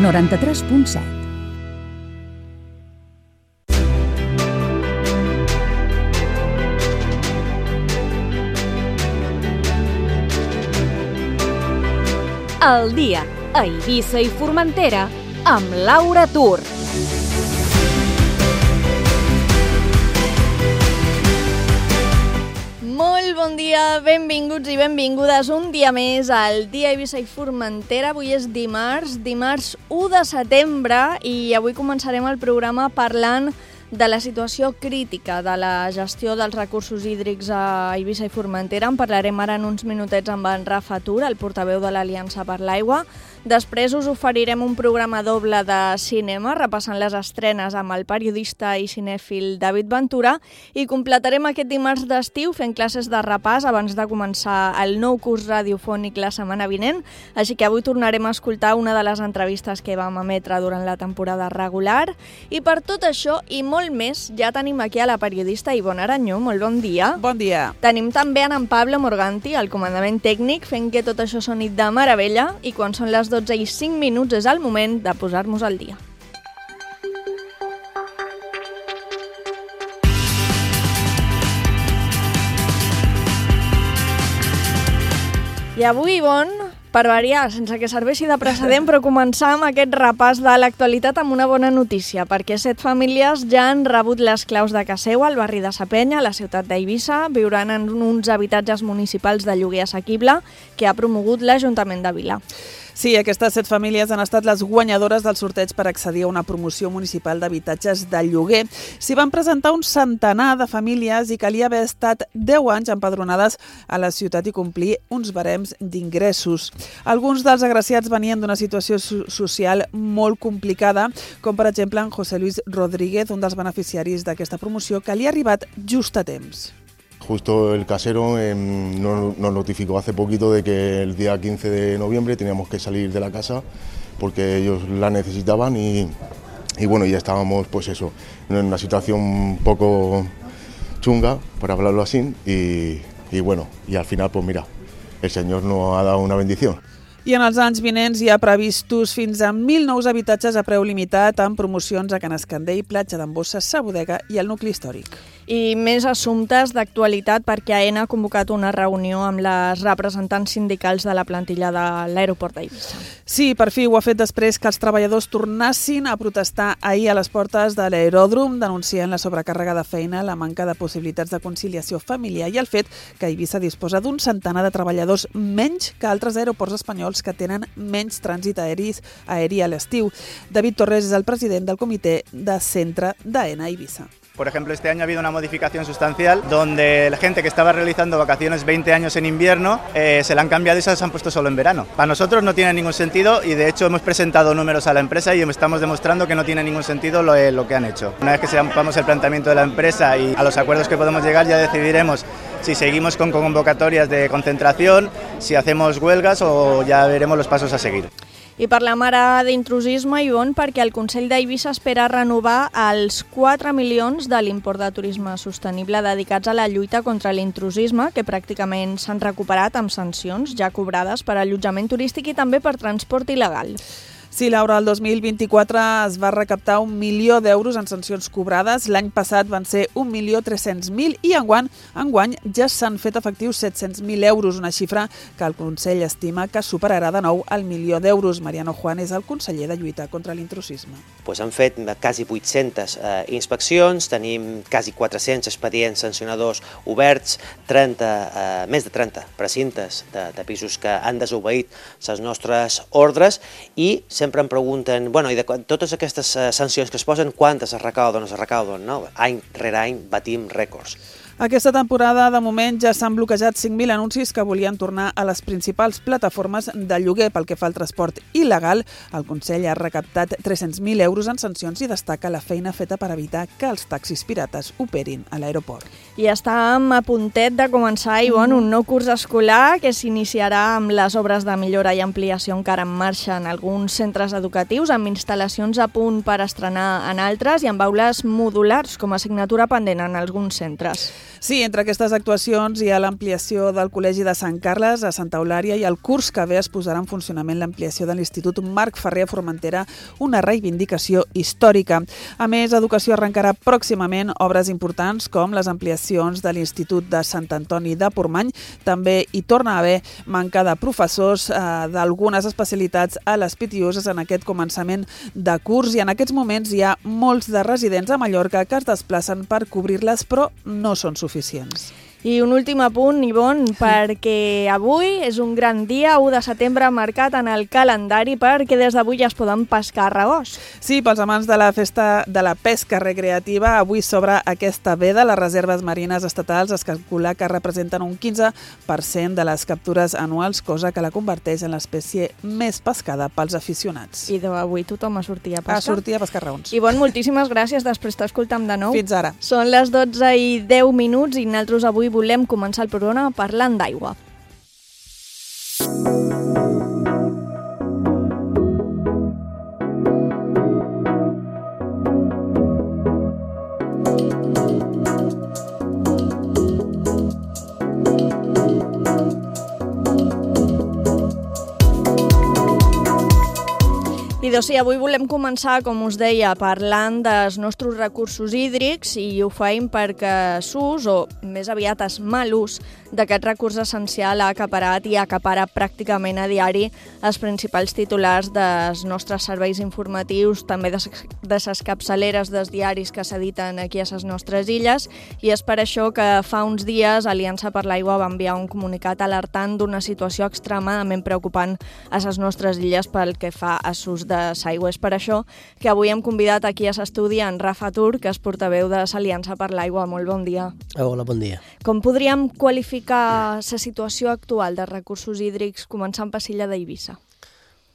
93.7. El dia a Eivissa i Formentera amb Laura Tur. Molt bon dia, benvinguts i benvingudes un dia més al dia a Eivissa i Formentera. Avui és dimarts 1 de setembre i avui començarem el programa parlant de la situació crítica de la gestió dels recursos hídrics a Eivissa i Formentera. En parlarem ara en uns minutets amb en Rafa Tur, el portaveu de l'Aliança per l'Aigua. Després us oferirem un programa doble de cinema, repassant les estrenes amb el periodista i cinèfil David Ventura, i completarem aquest dimarts d'estiu fent classes de repàs abans de començar el nou curs radiofònic la setmana vinent, així que avui tornarem a escoltar una de les entrevistes que vam emetre durant la temporada regular. I per tot això i molt més, ja tenim aquí a la periodista Ivonne Aranyó. Molt bon dia. Bon dia. Tenim també en Pablo Morganti, al comandament tècnic, fent que tot això soni de meravella, i quan són les 12 i 5 minuts és el moment de posar-nos al dia. I avui, Ivonne, per variar, sense que serveixi de precedent, però començar amb aquest repàs de l'actualitat amb una bona notícia, perquè 7 famílies ja han rebut les claus de casa seva al barri de Sa Penya, a la ciutat d'Eivissa. Viuran en uns habitatges municipals de lloguer assequible que ha promogut l'Ajuntament de Vila. Sí, aquestes 7 famílies han estat les guanyadores del sorteig per accedir a una promoció municipal d'habitatges de lloguer. S'hi van presentar un centenar de famílies i calia haver estat 10 anys empadronades a la ciutat i complir uns barems d'ingressos. Alguns dels agraciats venien d'una situació social molt complicada, com per exemple en José Luis Rodríguez, un dels beneficiaris d'aquesta promoció, que li ha arribat just a temps. Justo el casero nos notificó hace poquito de que el día 15 de noviembre teníamos que salir de la casa porque ellos la necesitaban y bueno, ya estábamos pues eso, en una situación un poco chunga, por hablarlo así, y bueno, y al final pues mira, el Señor nos ha dado una bendición. I en els anys vinents hi ha previstos fins a 1.000 nous habitatges a preu limitat amb promocions a Can Escandell, Platja d'en Bossa, Sa Bodega i el nucli històric. I més assumptes d'actualitat perquè AENA ha convocat una reunió amb les representants sindicals de la plantilla de l'aeroport d'Eivissa. Sí, per fi ho ha fet després que els treballadors tornassin a protestar ahir a les portes de l'aeròdrom, denunciant la sobrecàrrega de feina, la manca de possibilitats de conciliació familiar i el fet que Eivissa disposa d'un centenar de treballadors menys que altres aeroports espanyols que tenen menys trànsit aeri a l'estiu. David Torres és el president del comitè de centre d'AENA a Eivissa. Por ejemplo, este año ha habido una modificación sustancial donde la gente que estaba realizando vacaciones 20 años en invierno se la han cambiado y se las han puesto solo en verano. Para nosotros no tiene ningún sentido y de hecho hemos presentado números a la empresa y estamos demostrando que no tiene ningún sentido lo que han hecho. Una vez que sepamos el planteamiento de la empresa y a los acuerdos que podemos llegar, ya decidiremos si seguimos con convocatorias de concentración, si hacemos huelgas o ya veremos los pasos a seguir. I parlem ara d'intrusisme, Ivonne, perquè el Consell d'Eivissa espera renovar els 4 milions de l'import de turisme sostenible dedicats a la lluita contra l'intrusisme, que pràcticament s'han recuperat amb sancions ja cobrades per allotjament turístic i també per transport il·legal. Sí, Laura, el 2024 es va recaptar 1 milió d'euros en sancions cobrades. L'any passat van ser 1.300.000 i enguany ja s'han fet efectius 700.000 euros, una xifra que el Consell estima que superarà de nou el milió d'euros. Mariano Juan és el conseller de lluita contra l'intrusisme. Han fet quasi 800 inspeccions, tenim quasi 400 expedients sancionadors oberts, més de 30 precintes de pisos que han desobeït les nostres ordres i sempre em pregunten, i de totes aquestes sancions que es posen, quantes es recauden o no es recauden? No? Any rere any batim rècords. Aquesta temporada, de moment, ja s'han bloquejat 5.000 anuncis que volien tornar a les principals plataformes de lloguer. Pel que fa al transport il·legal, el Consell ha recaptat 300.000 euros en sancions i destaca la feina feta per evitar que els taxis pirates operin a l'aeroport. I estàvem a puntet de començar, Ivonne, un nou curs escolar que s'iniciarà amb les obres de millora i ampliació encara en marxa en alguns centres educatius, amb instal·lacions a punt per estrenar en altres i amb aules modulars com a assignatura pendent en alguns centres. Sí, entre aquestes actuacions hi ha l'ampliació del Col·legi de Sant Carles a Santa Eulària i el curs que ve es posarà en funcionament l'ampliació de l'Institut Marc Ferrer a Formentera, una reivindicació històrica. A més, Educació arrencarà pròximament obres importants com les ampliacions de l'Institut de Sant Antoni de Portmany. També hi torna a haver manca de professors d'algunes especialitats a les Pitiuses en aquest començament de curs i en aquests moments hi ha molts de residents a Mallorca que es desplacen per cobrir-les, però no són suficients. I un últim apunt, Ivonne, perquè avui és un gran dia, 1 de setembre, marcat en el calendari perquè des d'avui ja es poden pescar ragós. Sí, pels amants de la festa de la pesca recreativa, avui s'obre aquesta veda. Les reserves marines estatals es calcula que representen un 15% de les captures anuals, cosa que la converteix en l'espècie més pescada pels aficionats. I avui tothom a sortir a pescar. A sortir a pescar raons. Ivonne, moltíssimes gràcies, després t'escoltam de nou. Fins ara. Són les 12:10 i nosaltres avui volem començar el programa parlant d'aigua. I doncs sí, avui volem començar, com us deia, parlant dels nostres recursos hídrics i ho feim perquè s'ús, o més aviat es mal ús, d'aquest recurs essencial ha acaparat i acapara pràcticament a diari els principals titulars dels nostres serveis informatius, també de les capçaleres dels diaris que s'editen aquí a les nostres illes, i és per això que fa uns dies Aliança per l'Aigua va enviar un comunicat alertant d'una situació extremadament preocupant a les nostres illes pel que fa a l'ús de l'aigua. És per això que avui hem convidat aquí a l'estudi en Rafa Tur, que és portaveu de l'Aliança per l'Aigua. Molt bon dia. Hola, bon dia. Com podríem qualificar la situació actual dels recursos hídrics, començant per l'illa d'Eivissa?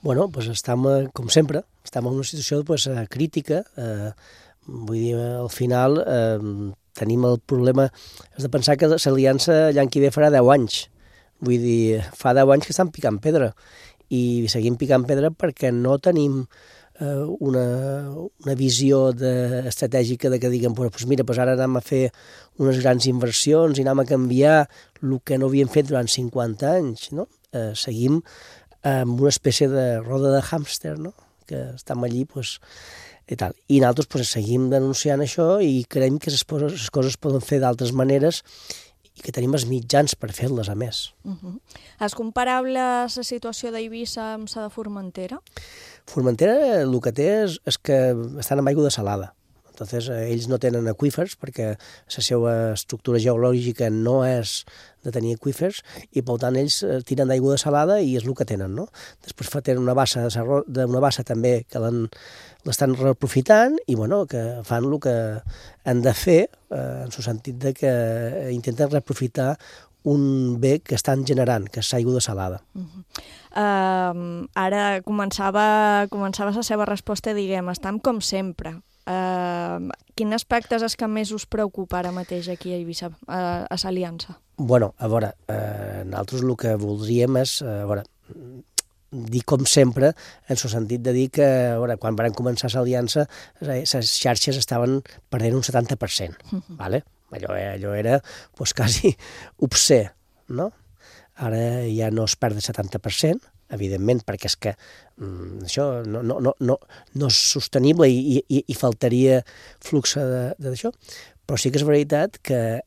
Bueno, doncs estem, com sempre, estem en una situació crítica. Vull dir, al final tenim el problema, és de pensar que l'Aliança l'any que ve farà 10 anys. Vull dir, fa 10 anys que estan picant pedra i seguim picant pedra perquè no tenim una visió estratègica de que diguem, doncs mira, ara anem a fer unes grans inversions i anem a canviar el que no havíem fet durant 50 anys, no? Seguim amb una espècie de roda de hàmster, no? Que estem allí, doncs, i tal. I nosaltres seguim denunciant això i creiem que les coses poden fer d'altres maneres i que tenim els mitjans per fer-les, a més. És comparable la situació d'Eivissa amb la de Formentera? Formentera el que té és que estan amb aigua desalada. Entonces, ells no tenen aqüífers perquè la seva estructura geològica no és de tenir aqüífers i, per tant, ells tiren d'aigua desalada i és el que tenen, no? Després tenen una bassa també que l'estan reaprofitant i, bueno, que fan el que han de fer en el sentit de que intenten reaprofitar un bé que estan generant, que és l'aigua desalada. Ara començava la seva resposta, diguem, estem com sempre. Quin aspecte és el que més us preocupa ara mateix aquí a Eivissa, a l'Aliança? Bueno, a veure, nosaltres el que voldríem és, dir com sempre, en el sentit de dir que, quan vam començar l'Aliança, les xarxes estaven perdent un 70%, vale? Allò era quasi obscè, no? Ara ja no es perd el 70%, evidentment, perquè és que això no és sostenible i faltaria flux d'això, però sí que és veritat que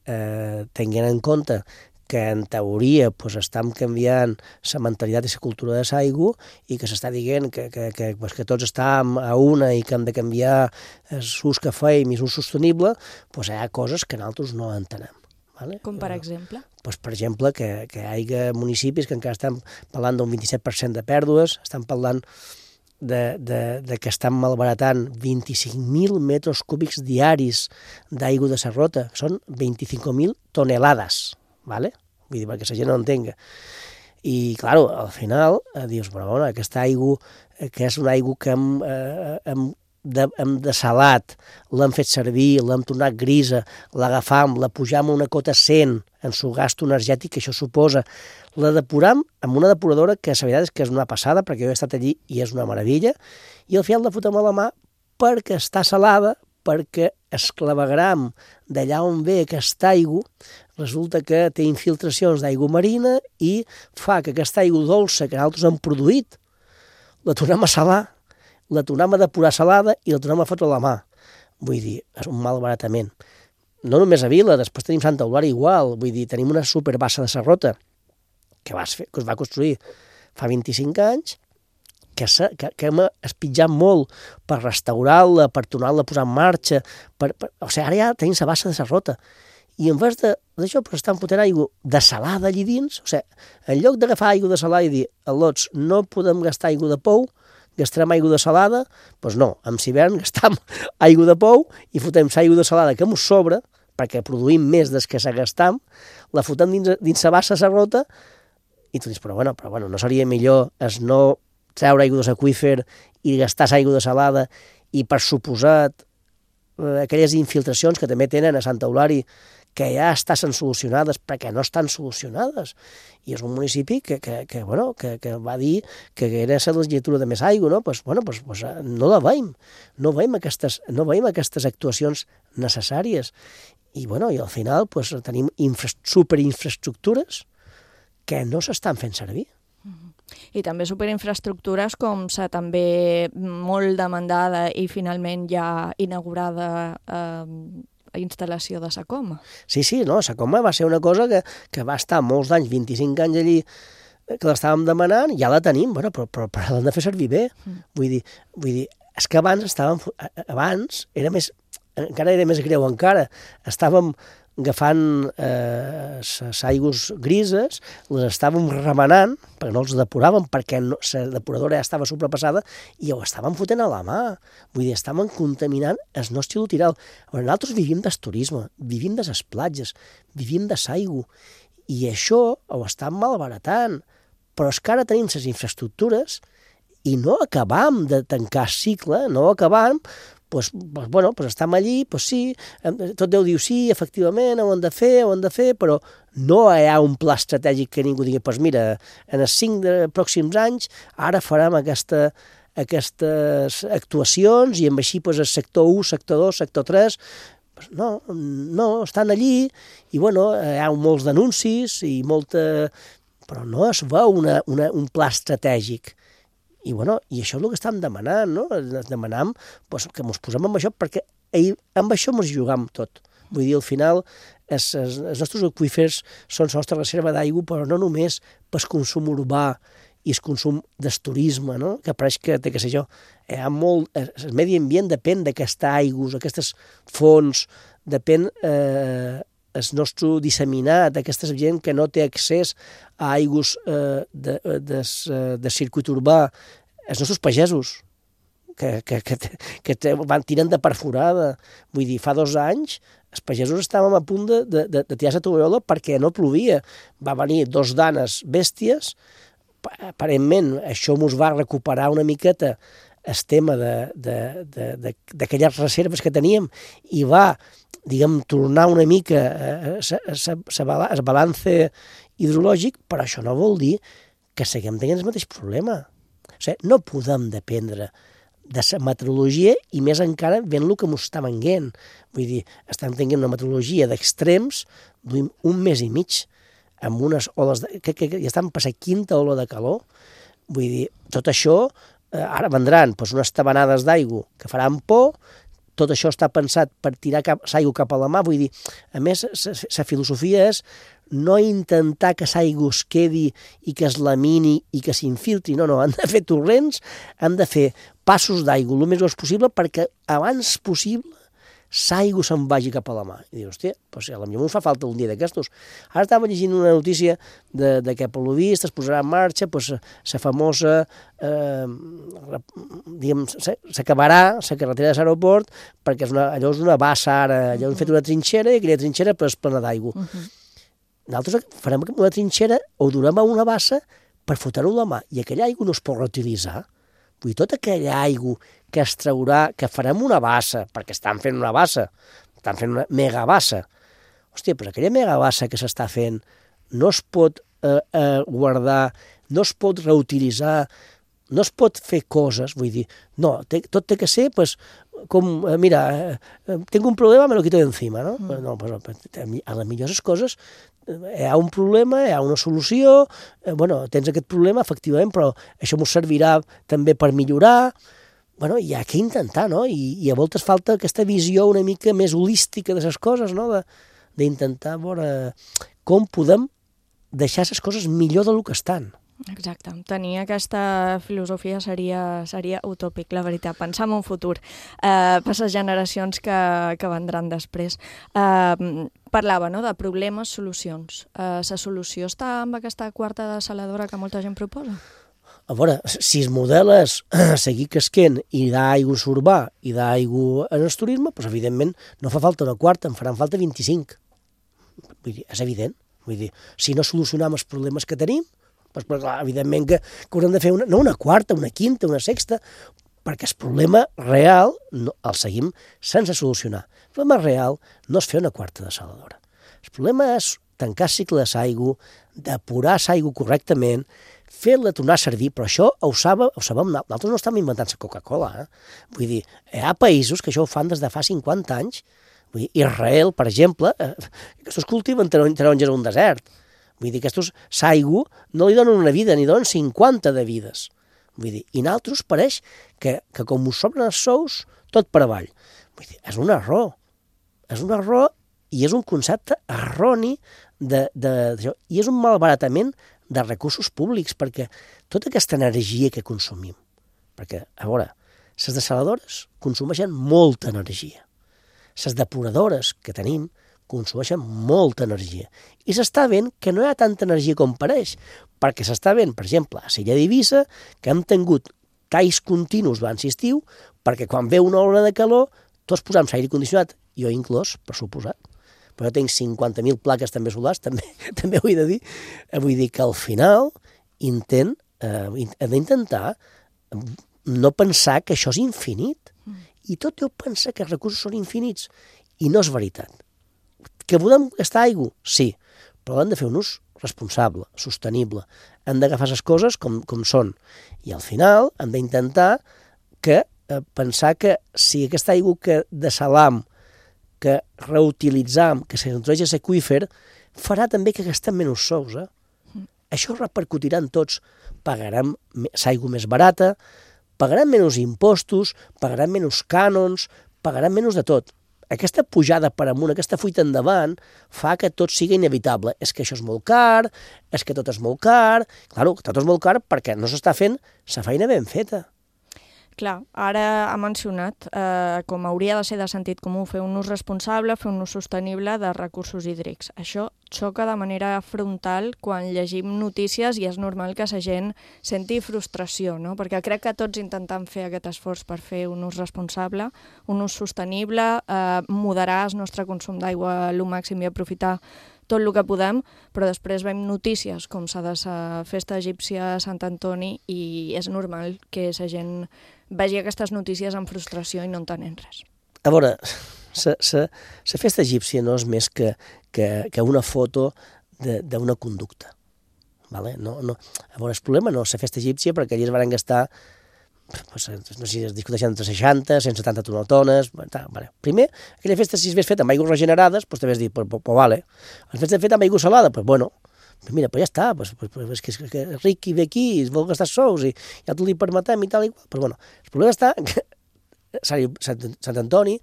tenint en compte que en teoria estem canviant la mentalitat i la cultura de l'aigua i que s'està dient que tots estem a una i que hem de canviar l'ús que feim i l'ús sostenible, hi ha coses que nosaltres no entenem. Vale? Com per exemple? Per exemple, que hi ha municipis que encara estan parlant d'un 27% de pèrdues, estan parlant de que estan malbaratant 25.000 metres cúbics diaris d'aigua de Serrota, que són 25.000 tonelades, ¿vale? Vull dir, perquè la gent no entenga. I, clar, al final, dius, bueno, aquesta aigua, que és una aigua que hem desalat, l'hem fet servir, l'hem tornat grisa, l'agafam, la pujam a una cota 100 en el gasto energètic que això suposa, la depuram amb una depuradora que la veritat és que és una passada, perquè jo he estat allí i és una meravella, i al final la fotem a la mà perquè està salada, perquè el clavegram d'allà on ve aquesta aigua resulta que té infiltracions d'aigua marina i fa que aquesta aigua dolça que nosaltres hem produït la tornem a salar, la tornem a depurar salada i la tornem a fotre a la mà. Vull dir, és un malbaratament. No només a Vila, després tenim Santa Eulàlia igual, vull dir, tenim una superbassa de Sarrota que es va construir fa 25 anys, que hem espitjat molt per restaurar-la, per tornar-la a posar en marxa, o sigui, ara ja tenim la bassa de Sarrota. I en vez d'això, però estan fotent aigua de salada allí dins, o sigui, en lloc d'agafar aigua de salada i dir, al·lots, no podem gastar aigua de pou, gastarem aigua de salada, doncs no, en hivern gastam aigua de pou i fotem l'aigua de salada que ens sobra, perquè produïm més des que s'agastam, la fotem dins la bassa de Sarrota, i tu dius, però bueno, no seria millor no treure aigua de l'aqüífer i gastar aigua de salada i, per suposat, aquelles infiltracions que també tenen a Santa Eulàlia que ja estan solucionades perquè no estan solucionades. I és un municipi que va dir que era la legislatura de més aigua, no? Pues no la veiem. No veiem aquestes actuacions necessàries. I al final tenim superinfraestructures que no s'estan fent servir. I també superinfraestructures com la també molt demandada i finalment ja inaugurada instal·lació de Sacoma. Sí, no, Sacoma va ser una cosa que va estar molts anys, 25 anys allí, que l'estàvem demanant, ja la tenim, però l'hem de fer servir bé. Vull dir, és que abans encara era més greu encara, estàvem agafant les aigües grises, les estàvem remenant, perquè no els depuràvem, perquè la depuradora ja estava sobrepassada, i ho estàvem fotent a la mà. Vull dir, estàvem contaminant el nostre litoral. Nosaltres vivim del turisme, vivim de les platges, vivim de l'aigua, i això ho estem malbaratant. Però és que ara tenim les infraestructures i no acabam de tancar el cicle, no ho acabam. Estem allí, sí, tot Déu diu sí, efectivament, ho hem de fer, però no hi ha un pla estratègic que ningú digui, mira, en els 5 pròxims anys ara farem aquestes actuacions i amb així el sector 1, sector 2, sector 3... No, estan allí i hi ha molts denuncis i però no es veu un pla estratègic. I això és el que estem demanant, no? Demanam que ens posem amb això, perquè amb això ens jugam tot. Vull dir, al final, els nostres aqüífers són la nostra reserva d'aigua, però no només pel consum urbà i el consum del turisme, no? Que pareix que té que ser jo. El medi ambient depèn d'aquesta aigua, aquestes fonts, depèn el nostre disseminat, aquesta gent que no té accés a aigües de circuit urbà, els nostres pagesos, que tiren de perforada. Vull dir, fa 2 anys els pagesos estàvem a punt de tirar la tovallola perquè no plovia. Va venir 2 danes bèsties, aparentment això ens va recuperar una miqueta el tema d'aquelles reserves que teníem i va, tornar una mica el balance hidrològic, però això no vol dir que seguim tenint el mateix problema. O sigui, no podem dependre de la meteorologia i més encara veient el que ens està venint. Vull dir, estem tenint una meteorologia d'extrems d'un mes i mig, amb unes oles que ja estan passant 5ª ola de calor. Vull dir, tot això, ara vendran unes tabanades d'aigua que faran por, tot això està pensat per tirar l'aigua cap a la mà. Vull dir, a més, la filosofia és no intentar que l'aigua es quedi i que es lamini i que s'infiltri. No, han de fer torrents, han de fer passos d'aigua el més gros possible perquè abans possible l'aigua se'n vagi cap a la mà. I dius, hòstia, potser potser ens fa falta un dia d'aquestos. Ara estava llegint una notícia de que per lo vist es posarà en marxa la famosa, s'acabarà la carretera de l'aeroport perquè allò és una bassa ara, allò han fet una trinxera i aquella trinxera és plena d'aigua. Nosaltres farem una trinxera o durem a una bassa per fotre-ho a la mà i aquella aigua no es pot reutilitzar. Vull dir, tota aquella aigua que es traurà, que farem una bassa, perquè estan fent una bassa, estan fent una megabassa. Hòstia, però aquella megabassa que s'està fent no es pot guardar, no es pot reutilitzar no es pot fer coses, vull dir, no, tot té que ser, pues, com, mira, tinc un problema, me lo quito de encima, no? No, a la millor les coses, hi ha un problema, hi ha una solució, bueno, tens aquest problema, efectivament, però això m'ho servirà també per millorar, bueno, hi ha que intentar, no? I a voltes falta aquesta visió una mica més holística de les coses, no? D'intentar veure com podem deixar les coses millor del que estan. Exacte. Tenir aquesta filosofia seria utòpic, la veritat. Pensar en un futur per les generacions que vendran després. Parlava, no?, de problemes, solucions. La solució està amb aquesta quarta dessaladora que molta gent proposa? A veure, si el model és seguir casquent i d'aigua urbà i d'aigua en el turisme, doncs evidentment no fa falta una quarta, en faran falta 25. Vull dir, és evident. Vull dir, si no solucionem els problemes que tenim, doncs, clar, evidentment que haurem de fer no una quarta, una quinta, una sexta, perquè el problema real el seguim sense solucionar. El problema real no és fer una quarta dessaladora. El problema és tancar cicle de l'aigua, depurar l'aigua correctament, fer-la tornar a servir, però això ho sabem, nosaltres no estem inventant la Coca-Cola. Vull dir, hi ha països que això ho fan des de fa 50 anys. Vull dir, Israel, per exemple, aquests cultiven taronges a un desert. Vull dir, aquests l'aigua no li donen una vida, ni donen 50 de vides. Vull dir, i nosaltres pareix que com us sobren els sous, tot per avall. Vull dir, és un error. És un error i és un concepte erroni d'això. I és un malbaratament de recursos públics, perquè tota aquesta energia que consumim, perquè, a veure, les dessaladores consumeixen molta energia. Les depuradores que tenim consumeixen molta energia. I s'està veient que no hi ha tanta energia com pareix, perquè s'està veient, per exemple, a l'illa d'Eivissa, que hem tingut talls continus durant l'estiu, perquè quan ve una hora de calor, tots posam l'aire condicionat, jo inclòs, per suposat, però jo tinc 50.000 plaques també solars, també ho he de dir. Vull dir que al final hem d'intentar no pensar que això és infinit. I tot deu pensar que els recursos són infinits. I no és veritat. Que podem gastar aigua? Sí, però hem de fer un ús responsable, sostenible. Hem d'agafar les coses com són. I al final hem d'intentar pensar que si aquesta aigua que dessalam, que reutilitzam, que s'introdueix a l'aqüífer, farà també que gastem menys sous. Això repercutirà en tots. Pagarem l'aigua més barata, pagarem menys impostos, pagarem menys cànons, pagarem menys de tot. Aquesta pujada per amunt, aquesta fuita endavant, fa que tot sigui inevitable. És que això és molt car, és que tot és molt car. Claro, tot és molt car perquè no s'està fent la feina ben feta. Clar, ara ha mencionat com hauria de ser de sentit comú fer un ús responsable, fer un ús sostenible de recursos hídrics. Això xoca de manera frontal quan llegim notícies i és normal que la gent senti frustració, no? Perquè crec que tots intentem fer aquest esforç per fer un ús responsable, un ús sostenible, moderar el nostre consum d'aigua al màxim i aprofitar tot el que podem, però després veiem notícies com la de la festa egípcia a Sant Antoni i és normal que la gent vegi aquestes notícies amb frustració i no entenent res. A veure, la festa egípcia no és més que una foto d'una conducta. Vale? No, a veure, el problema no és la festa egípcia, perquè allà es van gastar, no sé si es discuteixen entre 60, 170 toneltones. Vale. Primer, aquella festa, si es hagués fet amb aigües regenerades, doncs t'havies dit, pues vale. La festa fet amb aigua salada, pues bueno, mira, pues ja està, és que ric i ve aquí, es vol gastar sous i ja t'ho li permetem i tal i qual. Però bueno, el problema està que Sant Antoni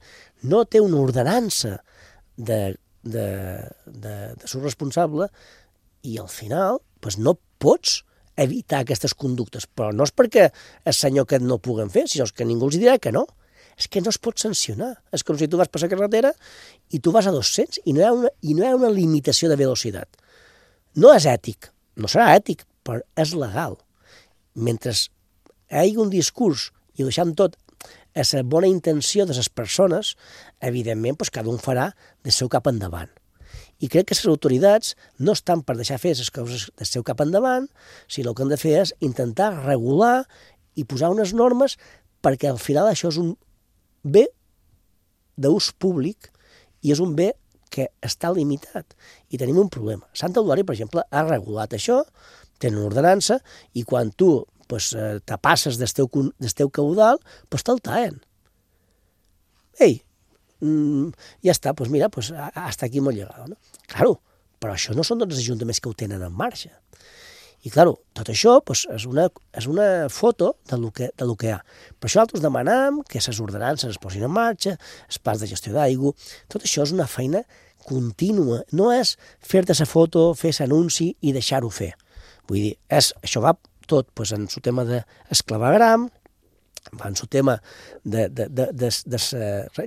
no té una ordenança de ser responsable i al final pues no pots evitar aquestes conductes, però no és perquè el senyor que no ho puguen fer, sinó que ningú els dirà que no. És que no es pot sancionar. És com si tu vas per la carretera i tu vas a 200 i no hi ha una limitació de velocitat. No és ètic, no serà ètic, però és legal. Mentre hi hagi un discurs i ho deixem tot a la bona intenció de les persones, evidentment doncs cada un farà del seu cap endavant. I crec que les autoritats no estan per deixar fer les coses del seu cap endavant, sinó el que han de fer és intentar regular i posar unes normes perquè al final això és un bé d'ús públic i és un bé que està limitat i tenim un problema. Sant Eudori, per exemple, ha regulat això, tenen una ordenança i quan tu te passes del teu caudal, te'l tallen. Ei, ja està, doncs mira, hasta aquí hemos llegado, no? Claro, però això no són tots els ajuntaments que ho tenen en marxa. I, clar, tot això és una foto del que hi ha. Per això nosaltres demanam que les ordenances es posin en marxa, els plans de gestió d'aigua, tot això és una feina contínua. No és fer-te la foto, fer l'anunci i deixar-ho fer. Vull dir, això va tot en el tema d'esclavagram, va en el tema de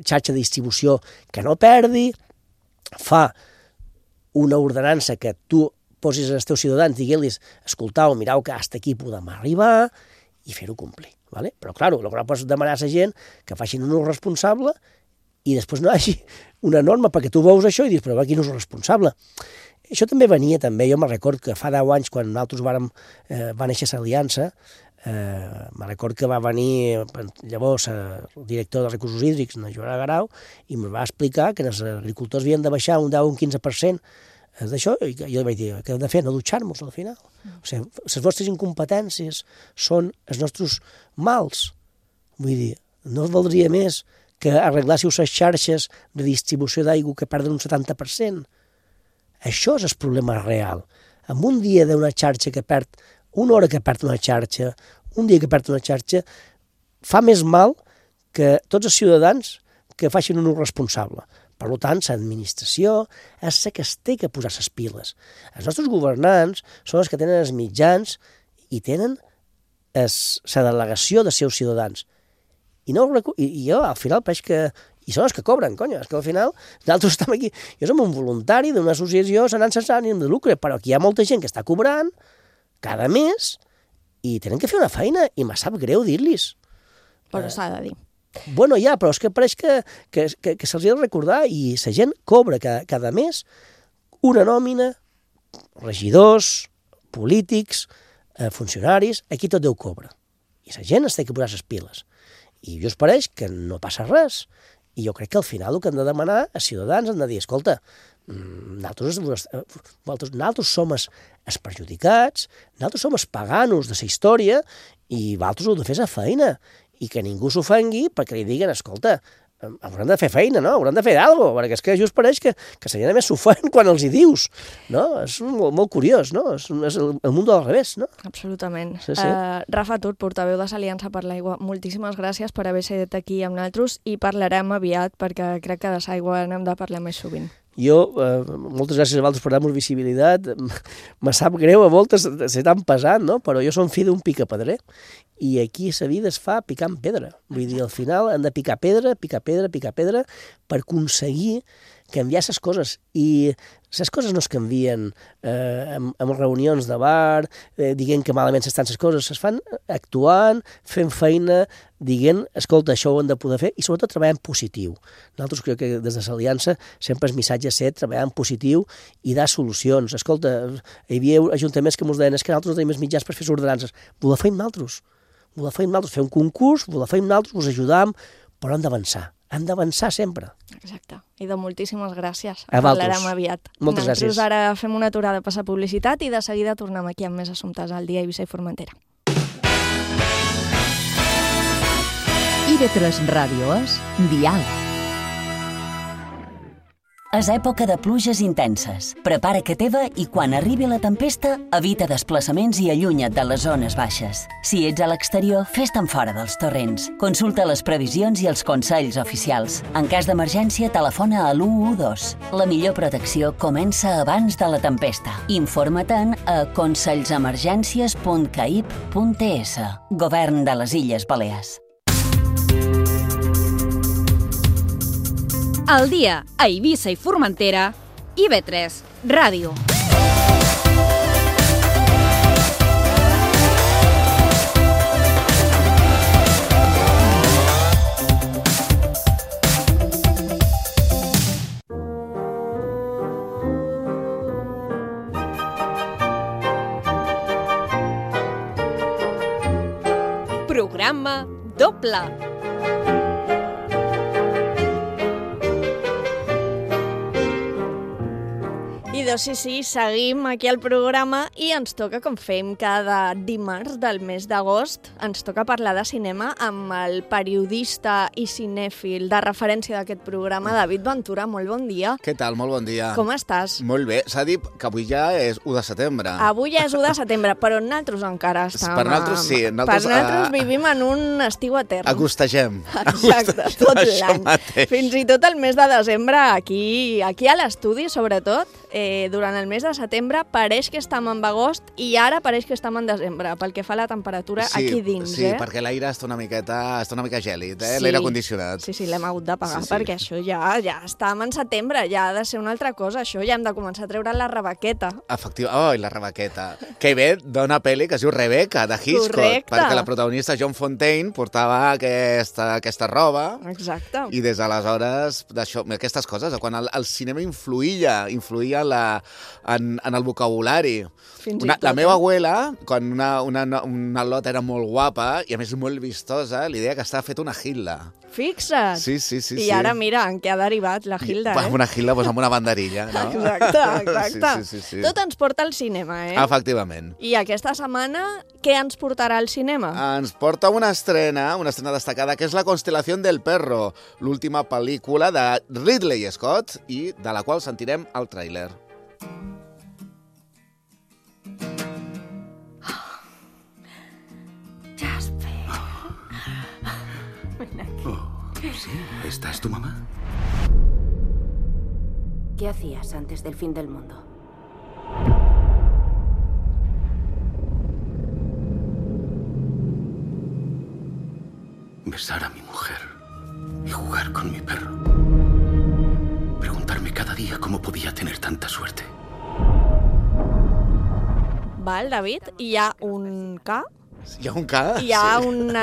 xarxa de distribució que no perdi, fa una ordenança que tu posis als teus ciutadans, diguent-los, escoltau, mireu que hasta aquí podem arribar i fer-ho complir. ¿Vale? Però, clar, el que no pots demanar a la gent que facin un ús responsable i després no hi hagi una norma perquè tu veus això i dius, però quin ús responsable? Això també venia, jo me'n record que fa 10 anys, quan nosaltres va néixer l'Aliança, me'n record que va venir llavors el director de recursos hídrics, en Joan Garau, i em va explicar que els agricultors havien de baixar un 10 o un 15% d'això, i jo vaig dir, què hem de fer? No dutxar-nos al final. O sigui, les vostres incompetències són els nostres mals. Vull dir, no valdria més que arreglássiu les xarxes de distribució d'aigua que perden un 70%. Això és el problema real. En un dia d'una xarxa que perd, una hora que perd una xarxa, un dia que perd una xarxa, fa més mal que tots els ciutadans que facin un ús responsable. Per tant, l'administració és la que es té que posar les piles. Els nostres governants són els que tenen els mitjans i tenen la delegació dels seus ciutadans. I jo, al final, veig que... I són els que cobren, conya, és que al final nosaltres estem aquí. Jo som un voluntari d'una associació sense ànim de lucre, però aquí hi ha molta gent que està cobrant cada mes i tenen que fer una feina i me sap greu dir-los. Però s'ha de dir. Bueno, ja, però és que pareix que se'ls ha de recordar i la gent cobra cada mes una nòmina, regidors, polítics, funcionaris, aquí tot Déu cobra. I la gent es té que posar les piles. I just pareix que no passa res. I jo crec que al final el que hem de demanar als ciutadans hem de dir, escolta, nosaltres som els perjudicats, nosaltres som els paganos de la història i vosaltres heu de fer la feina. I que ningú s'ofengui perquè li diguen, escolta, hauran de fer feina, no? Hauran de fer alguna cosa, perquè és que just pareix que la gent més s'ofèn quan els hi dius, no? És molt curiós, no? És el món del revés, no? Absolutament. Sí, sí. Rafa Tur, portaveu de l'Aliança per l'Aigua, moltíssimes gràcies per haver estat aquí amb nosaltres i parlarem aviat perquè crec que de l'aigua n'hem de parlar més sovint. Jo, moltes gràcies a vosaltres per dar-nos visibilitat. Me sap greu a voltes ser tan pesat, no? Però jo som fill d'un picapedrer i aquí la vida es fa picant pedra. Vull dir, al final hem de picar pedra per aconseguir canviar les coses. I les coses no es canvien en reunions de bar, dient que malament s'estan les coses, es fan actuant, fent feina, dient, escolta, això ho hem de poder fer, i sobretot treballar en positiu. Nosaltres crec que des de l'Aliança sempre el missatge és treballar en positiu i dar solucions. Escolta, hi havia ajuntaments que ens deien que nosaltres no tenim els mitjans per fer ordenances. Ho la feim nosaltres. Fer un concurs, ho la feim nosaltres, us ajudam, però hem d'avançar. Hem d'avançar sempre. Exacte. I de moltíssimes gràcies. A vosaltres. Parlarem aviat. Moltes gràcies. Nosaltres ara fem una aturada a passar publicitat i de seguida tornem aquí amb més assumptes al dia Eivissa i Formentera. IB3 Ràdio és Dial. És època de pluges intenses. Prepara que teva i quan arribi la tempesta, evita desplaçaments i allunya't de les zones baixes. Si ets a l'exterior, fes-te'n fora dels torrents. Consulta les previsions i els consells oficials. En cas d'emergència, telefona a l'112. La millor protecció comença abans de la tempesta. Informa-te'n a consells-emergències.caip.es. Govern de les Illes Balears. Al dia a Eivissa i Formentera, IB3 Ràdio. Programa doble. I Déu-n'hi-do, sí, seguim aquí al programa i ens toca, com fem cada dimarts del mes d'agost, ens toca parlar de cinema amb el periodista i cinèfil de referència d'aquest programa, David Ventura. Molt bon dia. Què tal? Molt bon dia. Com estàs? Molt bé. S'ha dit que avui ja és 1 de setembre. Avui ja és 1 de setembre, però nosaltres encara estem... Per nosaltres sí. Nosaltres vivim en un estiu etern. Agostegem. Exacte, tot l'any. Fins i tot el mes de desembre, aquí a l'estudi, sobretot, durant el mes de setembre, pareix que estem en agost i ara pareix que estem en desembre, pel que fa a la temperatura aquí dins. Sí, perquè l'aire està una mica gèlid, sí, l'aire condicionat. Sí, l'hem hagut de pagar, perquè això ja estem en setembre, ja ha de ser una altra cosa, això ja hem de començar a treure la rebaqueta. Efectivament, la rebaqueta. Que ve d'una pel·li que es diu Rebecca, de Hitchcock. Correcte. Perquè la protagonista John Fontaine portava aquesta roba. Exacte. I des d'aleshores, aquestes coses, quan el cinema influïa en el vocabulari. La meva abuela, quan una lot era molt guapa i a més molt vistosa, li deia que estava fet una Hilda. Fixa't! Sí. I ara mira en què ha derivat la Hilda, Una Hilda, amb una banderilla, no? Exacte. Sí. Tot ens porta al cinema, Efectivament. I aquesta setmana, què ens portarà al cinema? Ens porta una estrena destacada, que és La Constelación del Perro, l'última pel·lícula de Ridley Scott i de la qual sentirem el tràiler. ¿Sí? ¿Esta es tu mamá? ¿Qué hacías antes del fin del mundo? Besar a mi mujer y jugar con mi perro. Preguntarme cada día cómo podía tener tanta suerte. Val, David, hi ha un K. Hi ha un K? Hi ha un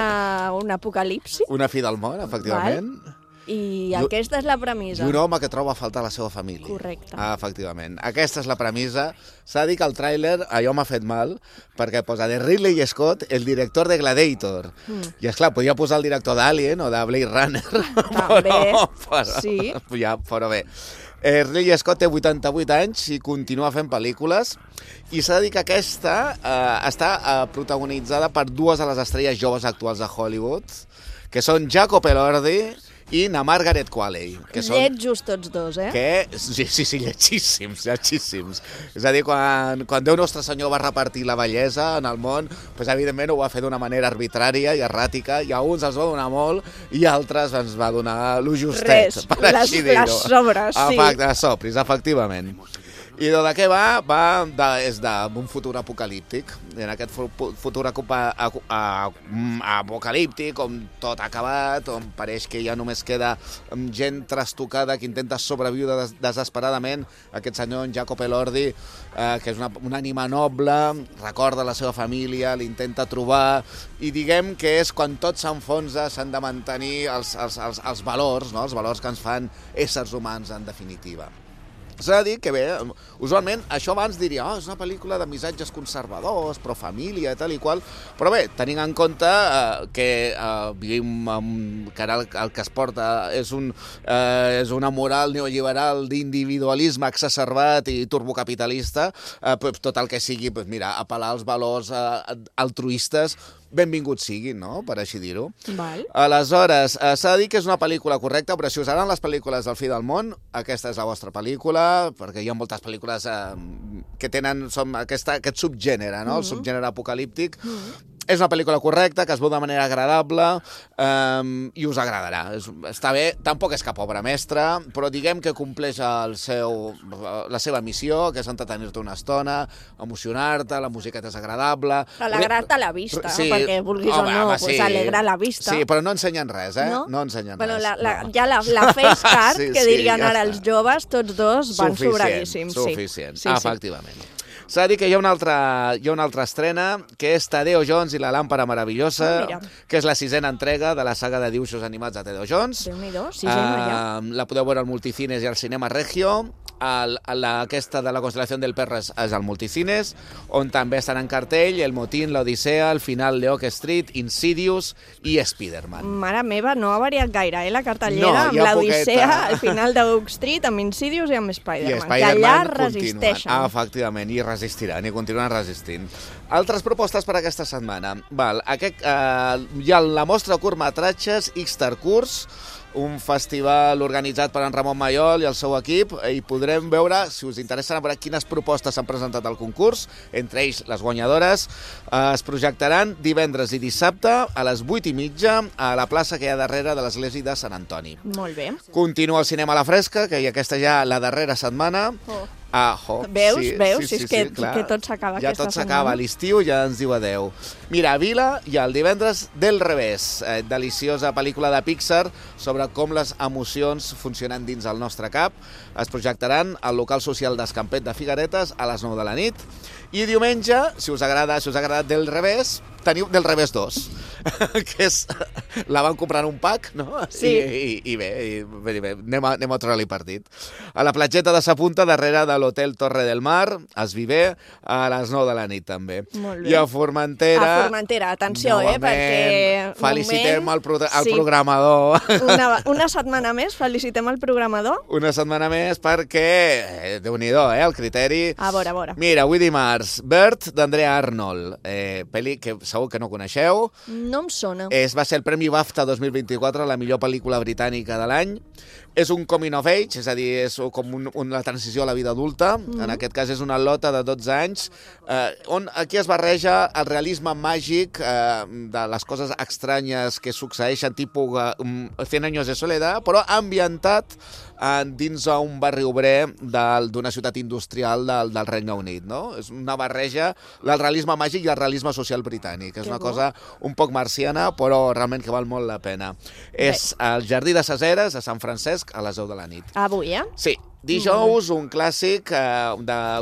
apocalipsi. Una fi del món, efectivament. Val. I aquesta és la premissa. I un home que troba a faltar la seva família. Correcte. Efectivament. Aquesta és la premissa. S'ha dit que el tràiler, allò m'ha fet mal, perquè posa de Ridley Scott, el director de Gladiator. I esclar, podia posar el director d'Alien o de Blade Runner. També, sí. Però bé. Ridley Scott té 88 anys i continua fent pel·lícules i s'ha de dir que aquesta està protagonitzada per dues de les estrelles joves actuals de Hollywood, que són Jacob Elordi i na Margaret Qualley. Lletjos tots dos, Sí, lletjíssims. És a dir, quan Déu Nostre Senyor va repartir la bellesa en el món, doncs, evidentment ho va fer d'una manera arbitrària i erràtica, i a uns els va donar molt i a altres ens va donar lo justet. Les sobres, sí. Les sobres, efectivament. I de què va? És d'un futur apocalíptic. En aquest futur apocalíptic, on tot ha acabat, on pareix que ja només queda gent trastocada que intenta sobreviure desesperadament. Aquest senyor, en Jacob Elordi, que és una ànima noble, recorda la seva família, l'intenta trobar, i diguem que és quan tot s'enfonsa, s'han de mantenir els valors, no? Els valors que ens fan éssers humans, en definitiva. S'ha de dir que, bé, usualment això abans diria és una pel·lícula de missatges conservadors, pro família, tal i qual, però bé, tenint en compte que vivim que ara el que es porta és una moral neoliberal d'individualisme exacerbat i turbocapitalista, tot el que sigui, mira, apel·lar als valors altruistes, benvingut siguin, no?, per així dir-ho. Aleshores, s'ha de dir que és una pel·lícula correcta, però si us agraden les pel·lícules del fi del món, aquesta és la vostra pel·lícula, perquè hi ha moltes pel·lícules que tenen aquest subgènere, no?, el subgènere apocalíptic. És una pel·lícula correcta, que es veu de manera agradable i us agradarà. Està bé, tampoc és cap obra mestra, però diguem que compleix la seva missió, que és entretenir-te una estona, emocionar-te, la musiqueta és agradable... Alegrar-te la vista, perquè vulguis o no, alegrar la vista. Sí, però no ensenyen res, No ensenyen res. Ja la face card, que dirien ara els joves, tots dos van sobradíssims. Suficient, efectivament. S'ha de dir que hi ha una altra estrena, que és Tadeo Jones i la làmpara meravellosa, que és la 6a entrega de la saga de dibuixos animats de Tadeo Jones. Déu-n'hi-do, 6a ja. La podeu veure al Multicines i al Cinema Regio. aquesta de la Constelació del Perro és al Multicines, on també estan en cartell El Motín, l'Odissea, El Final de Oak Street, Insidious i Spider-Man. Mare meva, no ha variat gaire, la cartellera, amb l'Odissea, El Final de Oak Street, amb Insidious i amb Spider-Man, que allà resisteixen. Efectivament, i resistiran, i continuen resistint. Altres propostes per aquesta setmana. Hi ha la mostra de curtmetratges Xtercurs, un festival organitzat per en Ramon Mayol i el seu equip, i podrem veure, si us interessa, veure quines propostes s'han presentat al concurs, entre ells les guanyadores. Es projectaran divendres i dissabte a les 8:30 a la plaça que hi ha darrere de l'església de Sant Antoni. Molt bé. Continua el cinema a la fresca, que aquesta ja la darrera setmana. Veus? És que tot s'acaba aquesta setmana. Ja tot s'acaba, l'estiu ja ens diu adeu. Mira, a Vila hi ha el divendres Del Revés, deliciosa pel·lícula de Pixar sobre com les emocions funcionen dins el nostre cap. Es projectaran al local social d'Escampet de Figueretes a les 9 de la nit. I diumenge, si us agrada Del Revés, teniu Del Revés 2, que és... La van comprar en un pack, no? Sí. I bé, anem a treure-li partit. A la platgeta de Sa Punta, darrere de l'Hotel Torre del Mar, es vivé a les 9 de la nit, també. Molt bé. I a Formentera... A Formentera, atenció, perquè... Felicitem el programador. Una setmana més, felicitem el programador. Una setmana més perquè... Déu-n'hi-do, el criteri... A veure. Mira, avui dimarts, Bert, d'Andrea Arnold, pel·li que segur que no coneixeu. No em sona. Va ser el Premi BAFTA 2024, la millor pel·lícula britànica de l'any. És un coming of age, és a dir, és com la transició a la vida adulta. En aquest cas és una lota de 12 anys, on aquí es barreja el realisme màgic de les coses estranyes que succeeixen, tipus 100 años de soledad, però ambientat dins un barri obrer d'una ciutat industrial del Regne Unit, no? És una barreja del realisme màgic i el realisme social britànic. És una cosa un poc marciana, però realment que val molt la pena. És al Jardí de ses Eres, a Sant Francesc, a les 10 de la nit. Avui, Sí. Dijous, un clàssic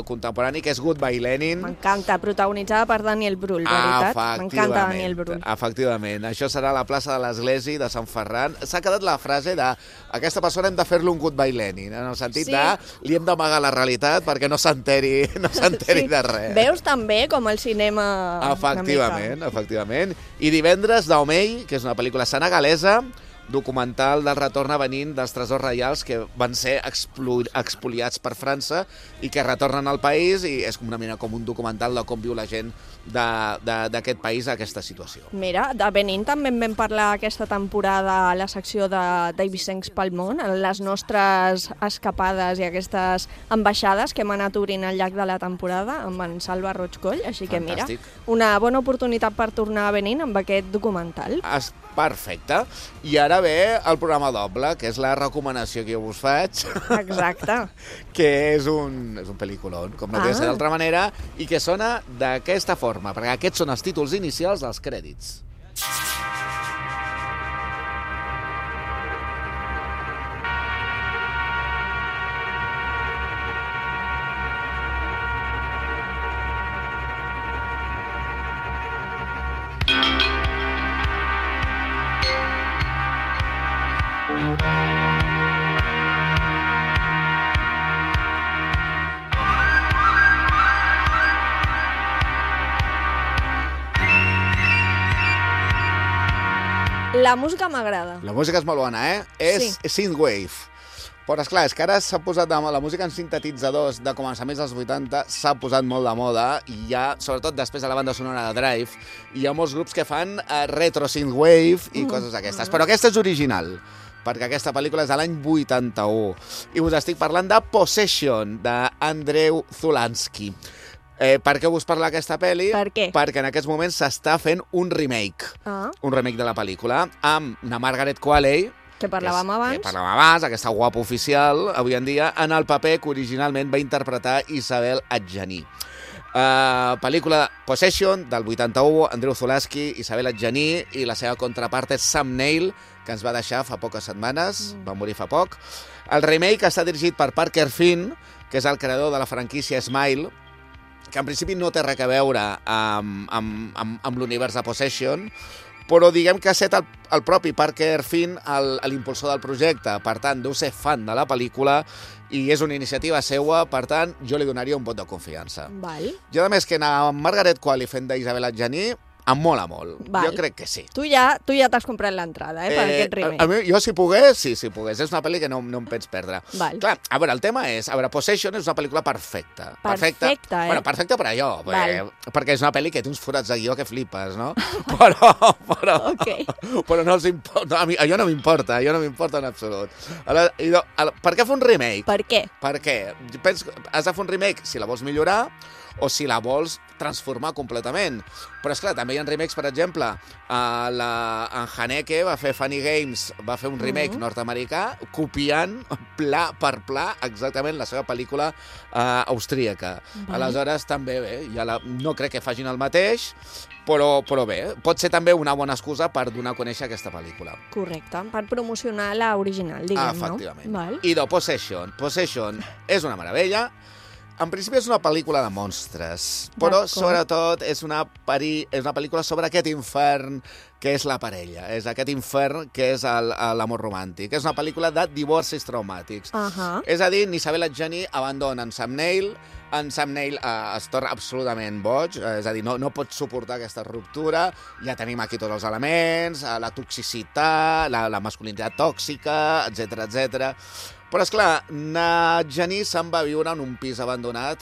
contemporani que és Goodbye Lenin. M'encanta, protagonitzada per Daniel Brühl, veritat? M'encanta Daniel Brühl. Efectivament. Això serà a la plaça de l'Església de Sant Ferran. S'ha quedat la frase de aquesta persona hem de fer-li un Goodbye Lenin, en el sentit de li hem d'amagar la realitat perquè no s'enteri de res. Veus també com el cinema... Efectivament. I divendres, Daomei, que és una pel·lícula senegalesa, documental del retorn a Benín dels tresors reials que van ser expoliats per França i que retornen al país, i és com un documental de com viu la gent d'aquest país a aquesta situació. Mira, de Benín també en vam parlar aquesta temporada a la secció d'Eivissencs pel món, les nostres escapades i aquestes ambaixades que hem anat obrint al llarg de la temporada amb en Salva Roig-Coll, així que mira, una bona oportunitat per tornar a Benín amb aquest documental. Perfecte. I ara ve el programa doble, que és la recomanació que jo us faig. Exacte. Que és un pel·lículon, com no podria ser d'altra manera, i que sona d'aquesta forma, perquè aquests són els títols inicials dels crèdits. La música m'agrada. La música és molt bona, És synthwave. Però, esclar, és que ara s'ha posat de moda, la música en sintetitzadors de començaments dels 80 s'ha posat molt de moda, i ja, sobretot després de la banda sonora de Drive, hi ha molts grups que fan retro synthwave i coses aquestes. Però aquesta és original, perquè aquesta pel·lícula és de l'any 81. I us estic parlant de Possession, d'Andreu Zulansky. Per què us parla aquesta pel·li? Per què? Perquè en aquests moments s'està fent un remake. Un remake de la pel·lícula, amb una Margaret Qualley, que parlàvem abans, aquesta guapa oficial, avui en dia, en el paper que originalment va interpretar Isabel Adjani. Pel·lícula Possession, del 81, Andreu Zulansky, Isabel Adjani, i la seva contrapart és Sam Neill, que ens va deixar fa poques setmanes, va morir fa poc. El remake està dirigit per Parker Finn, que és el creador de la franquícia Smile, que en principi no té res a veure amb l'univers de Possession, però diguem que ha estat el propi Parker Finn l'impulsor del projecte. Per tant, deu ser fan de la pel·lícula i és una iniciativa seua, per tant, jo li donaria un vot de confiança. Val. Jo, a més, que a Margaret Qualley fent d'Isabel Adjani em mola molt. Val. Jo crec que sí. Tu ja t'has comprat l'entrada, per aquest remake. Jo, si pogués, sí, si pogués. És una pel·li que no em penso perdre. Val. Clar, a veure, el tema és... A veure, Possession és una pel·lícula perfecta. Perfecta, Bueno, perfecta per allò, perquè és una pel·li que té uns forats de guió que flipes, no? Okay. Però no els importa. Allò no m'importa, en absolut. Per què fer un remake? Per què? Perquè has de fer un remake si la vols millorar o si la vols transformar completament. Però, esclar, també hi ha remakes, per exemple, en Haneke va fer Funny Games, va fer un remake nord-americà, copiant pla per pla exactament la seva pel·lícula austríaca. Aleshores, també bé, no crec que facin el mateix, però bé, pot ser també una bona excusa per donar a conèixer aquesta pel·lícula. Correcte, per promocionar l'original, diguem, no? Efectivament. Val. I de Possession. Possession és una meravella. En principi és una pel·lícula de monstres, però sobretot és una pel·lícula sobre aquest infern que és la parella, és aquest infern que és l'amor romàntic. És una pel·lícula de divorcis traumàtics. És a dir, Isabel Adjani abandona en Sam Neill, es torna absolutament boig, és a dir, no pot suportar aquesta ruptura, ja tenim aquí tots els elements, la toxicitat, la masculinitat tòxica, etc. Però, esclar, Adjani se'n va viure en un pis abandonat,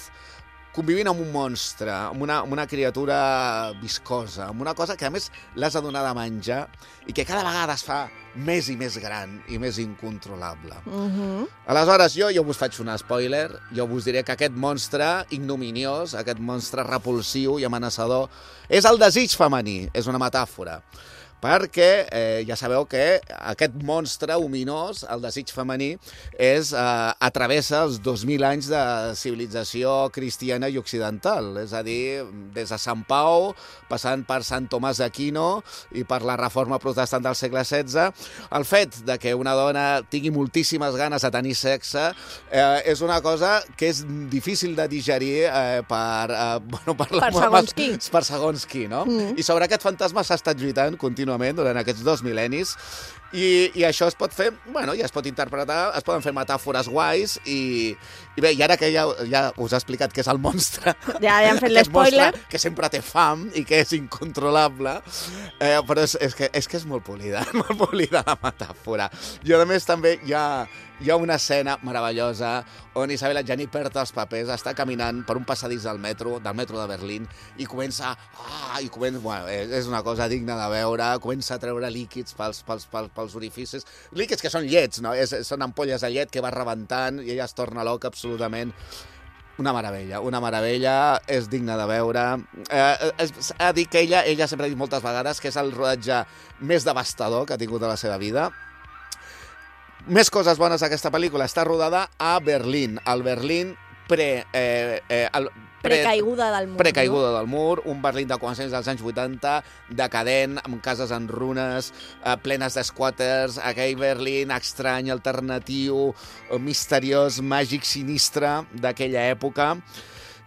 convivint amb un monstre, amb una criatura viscosa, amb una cosa que, a més, l'has de donar de menjar i que cada vegada es fa més i més gran i més incontrolable. Aleshores, jo us faig un spoiler, jo us diré que aquest monstre ignominiós, aquest monstre repulsiu i amenaçador, és el desig femení, és una metàfora. Perquè ja sabeu que aquest monstre ominós, el desig femení, atravessa els 2.000 anys de civilització cristiana i occidental. És a dir, des de Sant Pau, passant per Sant Tomàs d'Aquino i per la reforma protestant del segle XVI, el fet de que una dona tingui moltíssimes ganes de tenir sexe és una cosa que és difícil de digerir per segons qui, no? I sobre aquest fantasma s'ha estat lluitant contínuament durant aquests 2 mil·lennis i això es pot fer, ja es pot interpretar, es poden fer metàfores guais i bé, i ara que ja us he explicat què és el monstre, ja hem fet l'espoiler, que sempre té fam i que és incontrolable, però és que és molt polida la metàfora. I a més també hi ha una escena meravellosa on Isabel Adjani perd els papers, està caminant per un passadís del metro de Berlín i comença, és una cosa digna de veure, comença a treure líquids pels orificis, líquids que són llets, no? Són ampolles de llet que va rebentant i ella es torna loca absolutament. Una meravella, és digna de veure. Ha dit que ella sempre ha dit moltes vegades que és el rodatge més devastador que ha tingut a la seva vida. Més coses bones d'aquesta pel·lícula. Està rodada a Berlín, al Berlín precaiguda del mur. Precaiguda del mur, un Berlín de començaments dels anys 80, decadent, amb cases en runes, plenes d'esquàters, aquell Berlín estrany, alternatiu, misteriós, màgic, sinistre d'aquella època.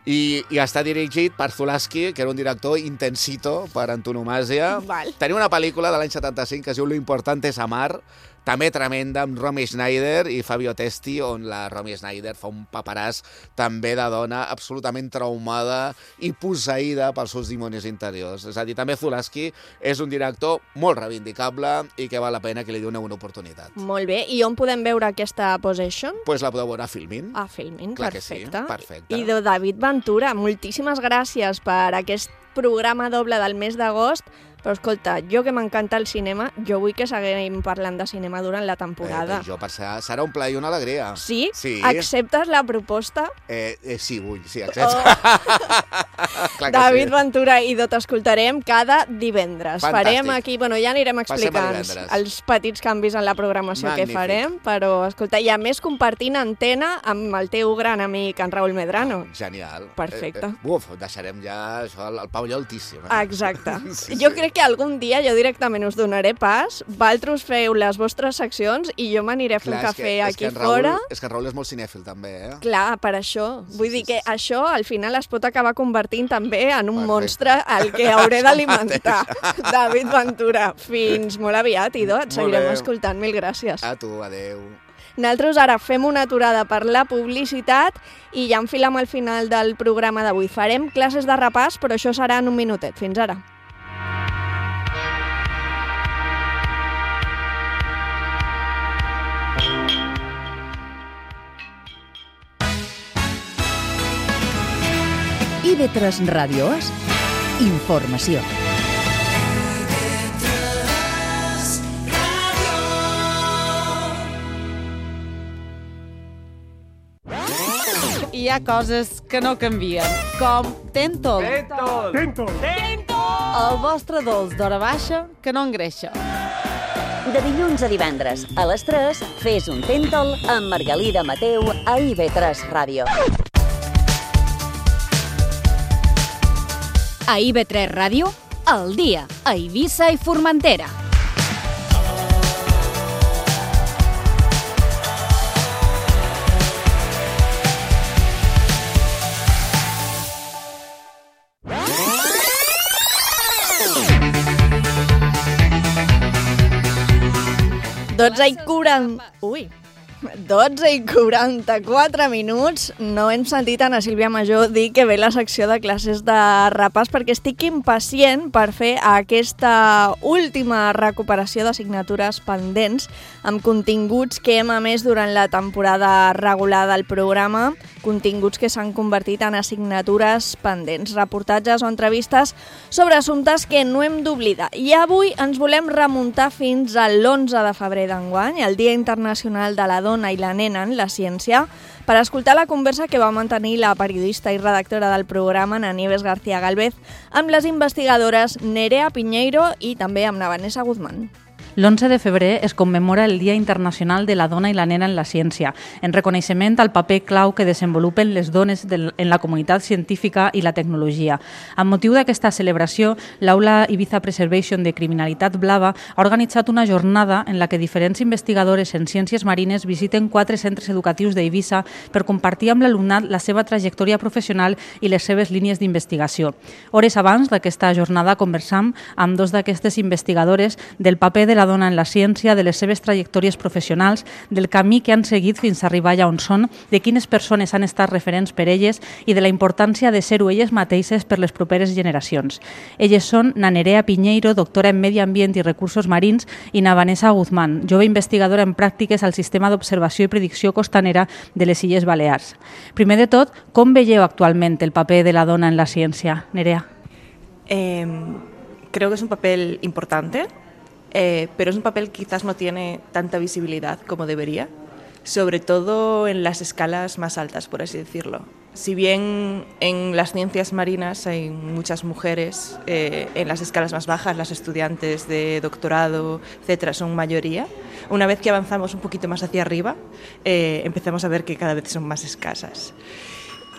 I està dirigit per Zulawski, que era un director intensito per antonomàsia. Tenia una pel·lícula de l'any 75 que es diu Lo importante es amar, també tremenda, amb Romy Schneider i Fabio Testi, on la Romy Schneider fa un paperàs també de dona absolutament traumada i posseïda pels seus dimonis interiors. És a dir, també Zulawski és un director molt reivindicable i que val la pena que li doni una oportunitat. Molt bé. I on podem veure aquesta Possession? Pues la podeu veure a Filmin. A Filmin, clar perfecte. Que sí, perfecte. I de David Ventura, moltíssimes gràcies per aquest programa doble del mes d'agost. Però, escolta, jo que m'encanta el cinema, jo vull que seguim parlant de cinema durant la temporada. Serà un plaer i una alegria. Sí? Acceptes la proposta? Sí, vull, sí, accepto. David Ventura i t'escoltarem cada divendres. Farem aquí, ja anirem explicant els petits canvis en la programació que farem, però, escolta, i a més compartint antena amb el teu gran amic, en Raül Medrano. Genial. Perfecte. Deixarem ja això, el pavelló altíssim. Exacte. Jo crec que algun dia jo directament us donaré pas, vosaltres feu les vostres seccions i jo m'aniré a fer un cafè aquí fora. És que en Raül és molt cinèfil, també, eh? Clar, per això. Vull dir que això al final es pot acabar convertint també en un monstre al que hauré d'alimentar. David Ventura, fins molt aviat, Ido, et seguirem escoltant. Mil gràcies. A tu, adeu. Nosaltres ara fem una aturada per la publicitat i ja enfilem al final del programa d'avui. Farem classes de repàs, però això serà en un minutet. Fins ara. IB3 Ràdio És informació. Hi ha coses que no canvien, com Tentol. Tentol! El vostre dolç d'hora baixa que no engreixa. De dilluns a divendres, a les 3, fes un Tentol amb Margalida Mateu a IB3 Ràdio. A IB3 Ràdio, al dia, a Eivissa i Formentera. Ui, 12 i 44 minuts. No hem sentit a Ana Sílvia Major dir que ve la secció de classes de repàs perquè estic impacient per fer aquesta última recuperació d'assignatures pendents amb continguts que hem emès durant la temporada regular del programa, continguts que s'han convertit en assignatures pendents, reportatges o entrevistes sobre assumptes que no hem d'oblidar. I avui ens volem remuntar fins a l'11 de febrer d'enguany, el Dia Internacional de la Dona i la Nena en la Ciència, per escoltar la conversa que va mantenir la periodista i redactora del programa, Ana Nieves García Galvez, amb les investigadores Nerea Piñeiro i també amb Vanessa Guzmán. L'11 de febrer es commemora el Dia Internacional de la Dona i la Nena en la Ciència, en reconeixement al paper clau que desenvolupen les dones en la comunitat científica i la tecnologia. Amb motiu d'aquesta celebració, l'Aula Ibiza Preservation de Criminalitat Blava ha organitzat una jornada en la que diferents investigadores en ciències marines visiten 4 centres educatius d'Eivissa per compartir amb l'alumnat la seva trajectòria professional i les seves línies d'investigació. Hores abans d'aquesta jornada conversam amb 2 d'aquestes investigadores del paper de la dona en la ciència, de les seves trajectòries professionals, del camí que han seguit fins a arribar allà on són, de quines persones han estat referents per elles i de la importància de ser-ho elles mateixes per les properes generacions. Elles són na Nerea Piñeiro, doctora en Medi Ambient i Recursos Marins, i na Vanessa Guzmán, jove investigadora en pràctiques al Sistema d'Observació i Predicció Costanera de les Illes Balears. Primer de tot, com veieu actualment el paper de la dona en la ciència? Nerea. Creo que es un papel importante. Pero es un papel que quizás no tiene tanta visibilidad como debería, sobre todo en las escalas más altas, por así decirlo. Si bien en las ciencias marinas hay muchas mujeres, en las escalas más bajas, las estudiantes de doctorado, etcétera, son mayoría, una vez que avanzamos un poquito más hacia arriba, empezamos a ver que cada vez son más escasas.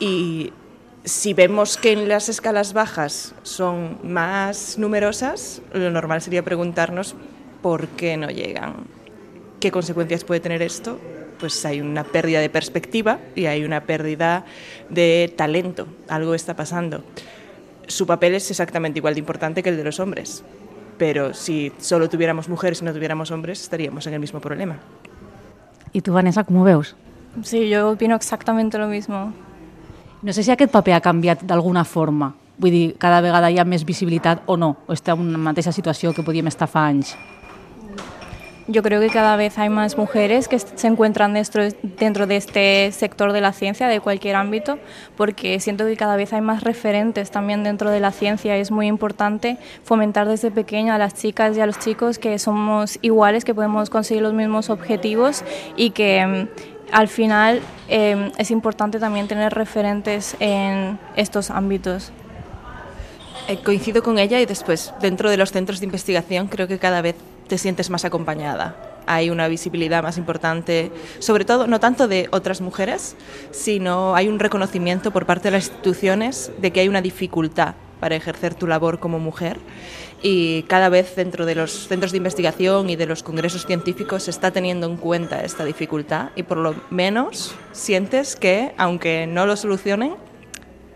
Y si vemos que en las escalas bajas son más numerosas, lo normal sería preguntarnos por qué no llegan. ¿Qué consecuencias puede tener esto? Pues hay una pérdida de perspectiva y hay una pérdida de talento. Algo está pasando. Su papel es exactamente igual de importante que el de los hombres, pero si solo tuviéramos mujeres y no tuviéramos hombres, estaríamos en el mismo problema. ¿Y tú, Vanessa, cómo veus? Sí, yo opino exactamente lo mismo. No sé si aquest paper ha canviat d'alguna forma. Vull dir, cada vegada hi ha més visibilitat o no, o està en una mateixa situació que podíem estar fa anys. Yo creo que cada vez hay más mujeres que se encuentran dentro de este sector de la ciencia, de cualquier ámbito, porque siento que cada vez hay más referentes también dentro de la ciencia. Es muy importante fomentar desde pequeña a las chicas y a los chicos que somos iguales, que podemos conseguir los mismos objetivos y que al final es importante también tener referentes en estos ámbitos. Coincido con ella y después, dentro de los centros de investigación, creo que cada vez te sientes más acompañada. Hay una visibilidad más importante, sobre todo no tanto de otras mujeres, sino hay un reconocimiento por parte de las instituciones de que hay una dificultad para ejercer tu labor como mujer. Y cada vez dentro de los centros de investigación y de los congresos científicos se está teniendo en cuenta esta dificultad y por lo menos sientes que, aunque no lo solucionen,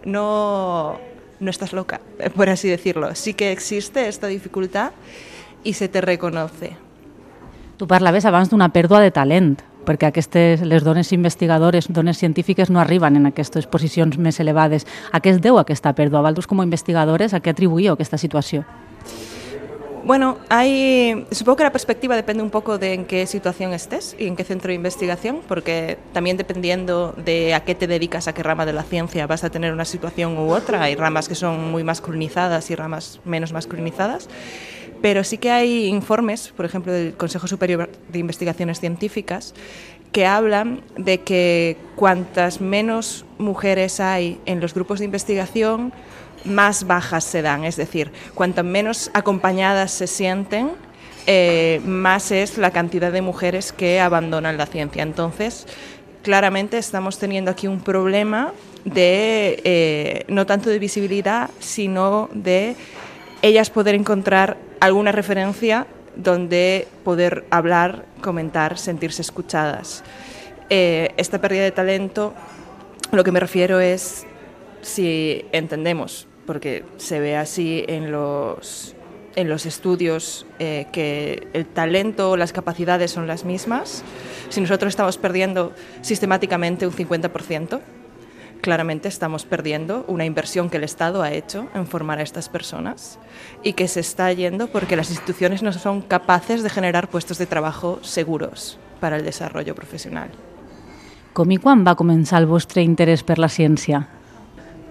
no estás loca, por así decirlo. Sí que existe esta dificultad i se te reconoce. Tu parlaves abans d'una pèrdua de talent, perquè les dones investigadores, dones científiques, no arriben en aquestes posicions més elevades. A què es deu aquesta pèrdua? Vosaltres, com a investigadores, a què atribuïu aquesta situació? Bueno, supongo que la perspectiva depende un poco de en qué situación estés y en qué centro de investigación, porque también dependiendo de a qué te dedicas, a qué rama de la ciencia vas a tener una situación u otra. Hay ramas que son muy masculinizadas y ramas menos masculinizadas, pero sí que hay informes, por ejemplo, del Consejo Superior de Investigaciones Científicas, que hablan de que cuantas menos mujeres hay en los grupos de investigación, más bajas se dan, es decir, cuanto menos acompañadas se sienten, más es la cantidad de mujeres que abandonan la ciencia. Entonces, claramente estamos teniendo aquí un problema de no tanto de visibilidad, sino de ellas poder encontrar alguna referencia donde poder hablar, comentar, sentirse escuchadas. Esta pérdida de talento, lo que me refiero es, si entendemos, porque se ve así en los estudios, que el talento o las capacidades son las mismas, si nosotros estamos perdiendo sistemáticamente un 50%, claramente estamos perdiendo una inversión que el Estado ha hecho en formar a estas personas y que se está yendo porque las instituciones no son capaces de generar puestos de trabajo seguros para el desarrollo profesional. Com i quan va començar el vostre interès per la ciència?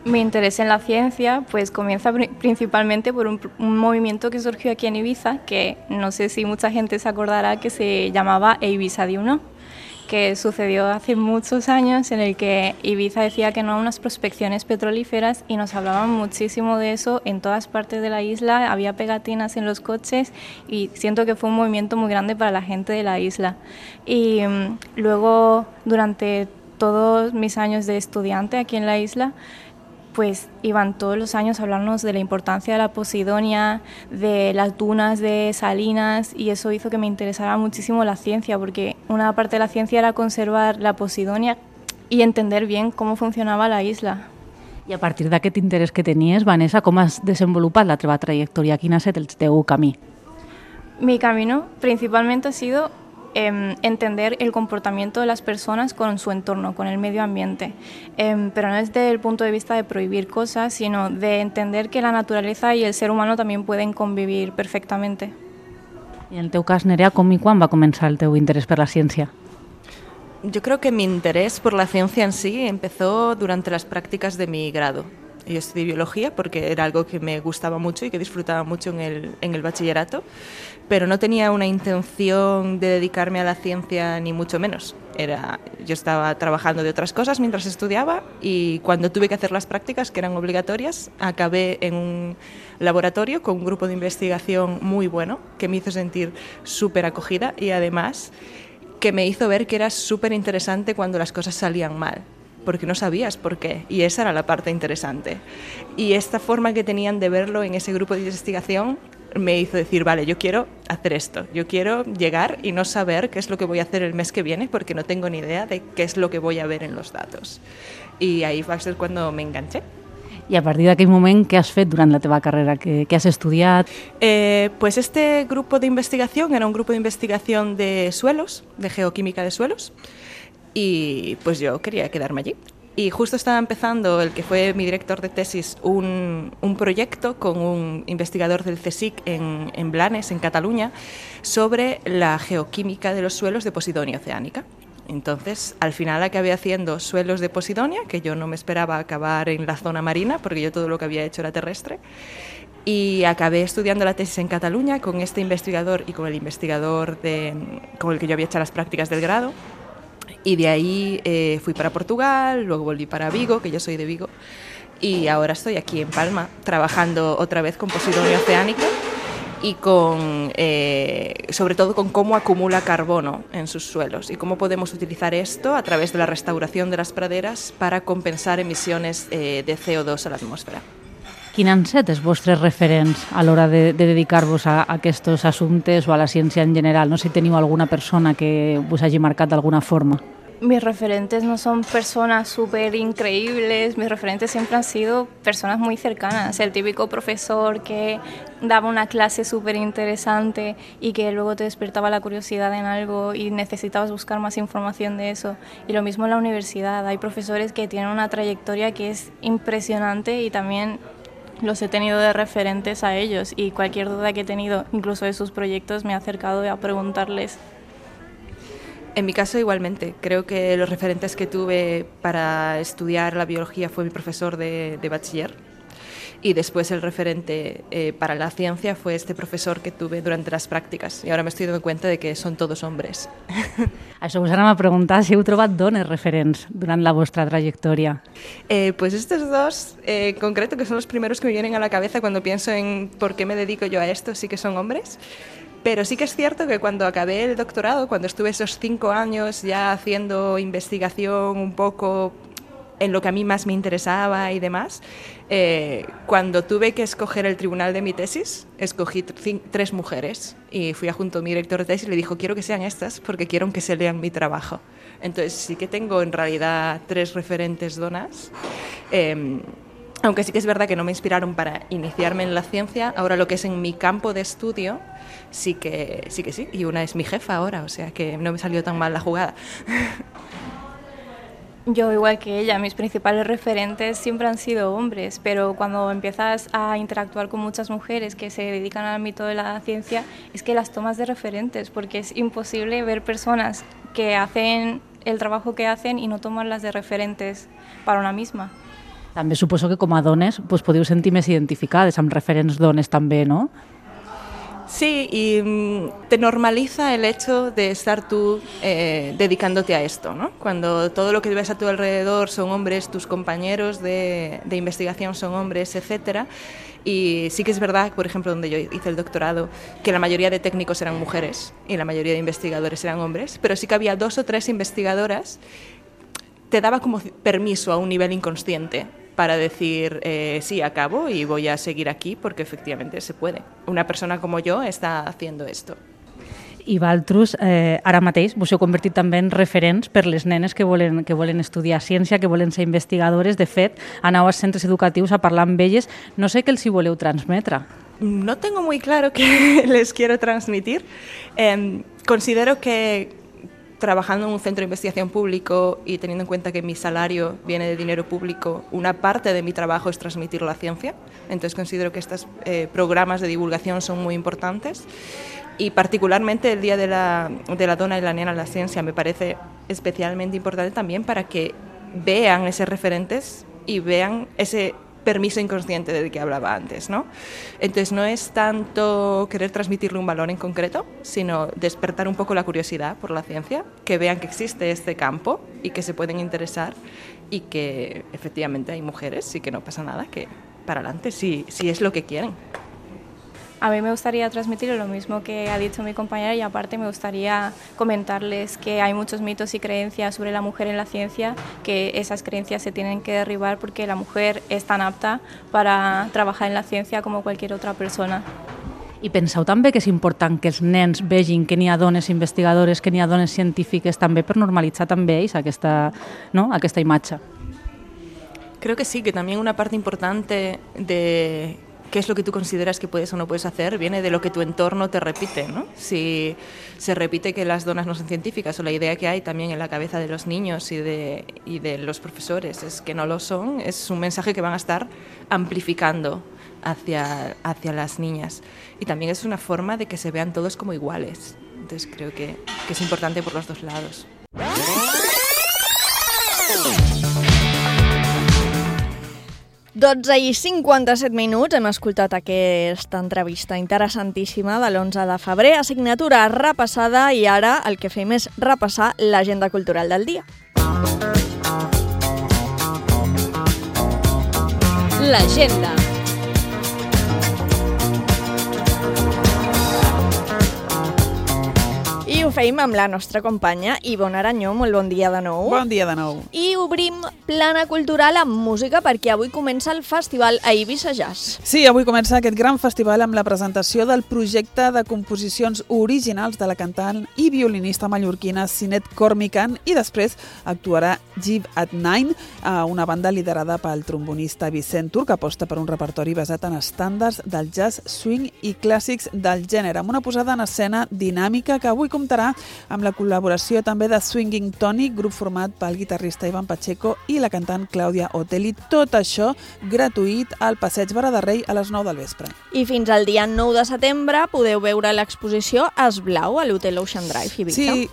Mi interés en la ciencia pues comienza principalmente por un movimiento que surgió aquí en Ibiza, que no sé si mucha gente se acordará, que se llamaba Ibiza di Uno, que sucedió hace muchos años, en el que Ibiza decía que no a unas prospecciones petrolíferas y nos hablaban muchísimo de eso en todas partes de la isla, había pegatinas en los coches y siento que fue un movimiento muy grande para la gente de la isla. Y luego, durante todos mis años de estudiante aquí en la isla, pues iban todos los años a hablarnos de la importancia de la Posidonia, de las dunas de Salinas, y eso hizo que me interesara muchísimo la ciencia, porque una parte de la ciencia era conservar la Posidonia y entender bien cómo funcionaba la isla. I a partir d'aquest interès que tenies, Vanessa, com has desenvolupat la teva trajectòria? Quin ha estat el teu camí? Mi camino principalmente ha sido entender el comportamiento de las personas con su entorno, con el medio ambiente, pero no desde el punto de vista de prohibir cosas, sino de entender que la naturaleza y el ser humano también pueden convivir perfectamente. I en el teu cas, Nerea, com i quan va començar el teu interès per la ciència? Yo creo que mi interés por la ciencia en sí empezó durante las prácticas de mi grado. Yo estudié biología porque era algo que me gustaba mucho y que disfrutaba mucho en el bachillerato, pero no tenía una intención de dedicarme a la ciencia ni mucho menos. Yo estaba trabajando de otras cosas mientras estudiaba y cuando tuve que hacer las prácticas, que eran obligatorias, acabé en un laboratorio con un grupo de investigación muy bueno que me hizo sentir súper acogida y además que me hizo ver que era súper interesante cuando las cosas salían mal, porque no sabías por qué, y esa era la parte interesante. Y esta forma que tenían de verlo en ese grupo de investigación me hizo decir, vale, yo quiero hacer esto, yo quiero llegar y no saber qué es lo que voy a hacer el mes que viene, porque no tengo ni idea de qué es lo que voy a ver en los datos. Y ahí va a ser cuando me enganché. I a partir d'aquell moment, què has fet durant la teva carrera? Què has estudiat? Pues este grupo de investigación era un grupo de investigación de suelos, de geoquímica de suelos, y pues yo quería quedarme allí. Y justo estaba empezando el que fue mi director de tesis un proyecto con un investigador del CSIC en Blanes, en Cataluña, sobre la geoquímica de los suelos de Posidonia oceánica. Entonces, al final acabé haciendo suelos de Posidonia, que yo no me esperaba acabar en la zona marina, porque yo todo lo que había hecho era terrestre, y acabé estudiando la tesis en Cataluña con este investigador y con el investigador con el que yo había hecho las prácticas del grado. Y de ahí fui para Portugal, luego volví para Vigo, que yo soy de Vigo, y ahora estoy aquí en Palma trabajando otra vez con Posidonia oceánica y sobre todo con cómo acumula carbono en sus suelos y cómo podemos utilizar esto a través de la restauración de las praderas para compensar emisiones de CO2 a la atmósfera. Quins han set els vostres referents a l'hora de dedicar-vos a aquests assumptes o a la ciència en general? No sé si teniu alguna persona que us hagi marcat d'alguna forma. Mis referentes no son personas súper increíbles, mis referentes siempre han sido personas muy cercanas, el típico profesor que daba una clase súper interesante y que luego te despertaba la curiosidad en algo y necesitabas buscar más información de eso. Y lo mismo en la universidad, hay profesores que tienen una trayectoria que es impresionante y también los he tenido de referentes a ellos y cualquier duda que he tenido, incluso de sus proyectos, me he acercado a preguntarles. En mi caso igualmente, creo que los referentes que tuve para estudiar la biología fue mi profesor de bachiller y después el referente para la ciencia fue este profesor que tuve durante las prácticas y ahora me estoy dando cuenta de que son todos hombres. Això us anava a preguntar si heu trobat dones referents durant la vostra trayectoria. Pues estos dos, en concreto, que son los primeros que me vienen a la cabeza cuando pienso en por qué me dedico yo a esto, sí que son hombres. Pero sí que es cierto que cuando acabé el doctorado, cuando estuve esos 5 años ya haciendo investigación un poco en lo que a mí más me interesaba y demás, cuando tuve que escoger el tribunal de mi tesis, escogí 3 mujeres y fui junto a mi director de tesis y le dijo, quiero que sean estas porque quiero que se lean mi trabajo. Entonces sí que tengo en realidad 3 referentes donas. Aunque sí que es verdad que no me inspiraron para iniciarme en la ciencia, ahora lo que es en mi campo de estudio, sí que sí. Y una es mi jefa ahora, o sea que no me salió tan mal la jugada. Yo, igual que ella, mis principales referentes siempre han sido hombres, pero cuando empiezas a interactuar con muchas mujeres que se dedican al ámbito de la ciencia, es que las tomas de referentes, porque es imposible ver personas que hacen el trabajo que hacen y no tomarlas de referentes para una misma. També suposo que com a dones podeu sentir més identificades amb referents dones també, ¿no? Sí, y te normaliza el hecho de estar tú dedicándote a esto, ¿no? Cuando todo lo que ves a tu alrededor son hombres, tus compañeros de investigación son hombres, etcétera. Y sí que es verdad, por ejemplo, donde yo hice el doctorado, que la mayoría de técnicos eran mujeres y la mayoría de investigadores eran hombres, pero sí que había 2 o 3 investigadoras. Te daba como permiso a un nivel inconsciente para decir, sí, acabo y voy a seguir aquí porque efectivamente se puede. Una persona como yo está haciendo esto. I vosaltres, ara mateix, vos heu convertit també en referents per les nenes que volen estudiar ciència, que volen ser investigadores. De fet, aneu als centres educatius a parlar amb elles. No sé què els hi voleu transmetre. No tengo muy claro qué les quiero transmitir. Considero que trabajando en un centro de investigación público y teniendo en cuenta que mi salario viene de dinero público, una parte de mi trabajo es transmitir la ciencia. Entonces considero que estos programas de divulgación son muy importantes y particularmente el Día de la Dona y la Nena en la Ciencia me parece especialmente importante también para que vean esos referentes y vean ese permiso inconsciente del que hablaba antes, ¿no? Entonces no es tanto querer transmitirle un valor en concreto, sino despertar un poco la curiosidad por la ciencia, que vean que existe este campo y que se pueden interesar y que efectivamente hay mujeres y que no pasa nada, que para adelante si es lo que quieren. A mí me gustaría transmitir lo mismo que ha dicho mi compañera y aparte me gustaría comentarles que hay muchos mitos y creencias sobre la mujer en la ciencia, que esas creencias se tienen que derribar porque la mujer es tan apta para trabajar en la ciencia como cualquier otra persona. I penseu també que és important que els nens vegin que n'hi ha dones investigadores, que n'hi ha dones científiques també per normalitzar també ells aquesta imatge? Creo que sí, que también una parte importante de qué es lo que tú consideras que puedes o no puedes hacer viene de lo que tu entorno te repite, ¿no? Si se repite que las donas no son científicas o la idea que hay también en la cabeza de los niños y de los profesores es que no lo son, es un mensaje que van a estar amplificando hacia las niñas. Y también es una forma de que se vean todos como iguales. Entonces creo que es importante por los 2 lados. I 57 minuts hem escoltat aquesta entrevista interessantíssima de l'11 de febrer, assignatura repassada i ara el que fem és repassar l'agenda cultural del dia. L'agenda. I I ho feim amb la nostra companya Ivonne Aranyó. Molt bon dia de nou. Bon dia de nou. I obrim plana cultural amb música perquè avui comença el festival a Eivissa Jazz. Sí, avui comença aquest gran festival amb la presentació del projecte de composicions originals de la cantant i violinista mallorquina Sinet Cormican, i després actuarà Jive at Nine, una banda liderada pel trombonista Vicent Tur, que aposta per un repertori basat en estàndards del jazz, swing i clàssics del gènere, amb una posada en escena dinàmica que avui comptarà amb la col·laboració també de Swinging Tony, grup format pel guitarrista Ivan Pacheco i la cantant Clàudia Otelli. Tot això gratuït al Passeig Barra de Rei a les 9 del vespre. I fins al dia 9 de setembre podeu veure l'exposició Esblau a l'Hotel Ocean Drive, Eivissa. Sí,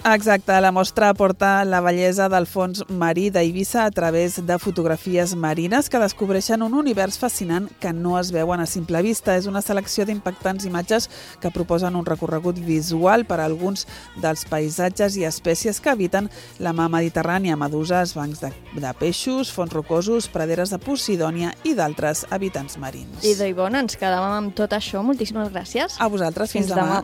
exacte. La mostra aporta la bellesa del fons marí d'Eivissa a través de fotografies marines que descobreixen un univers fascinant que no es veuen a simple vista. És una selecció d'impactants imatges que proposen un recorregut visual per a alguns dels paisatges i espècies que habiten la mar Mediterrània: meduses, bancs de peixos, fons rocosos, praderes de Posidònia i d'altres habitants marins. I Ivonne, ens quedàvem amb tot això. Moltíssimes gràcies. A vosaltres, fins demà.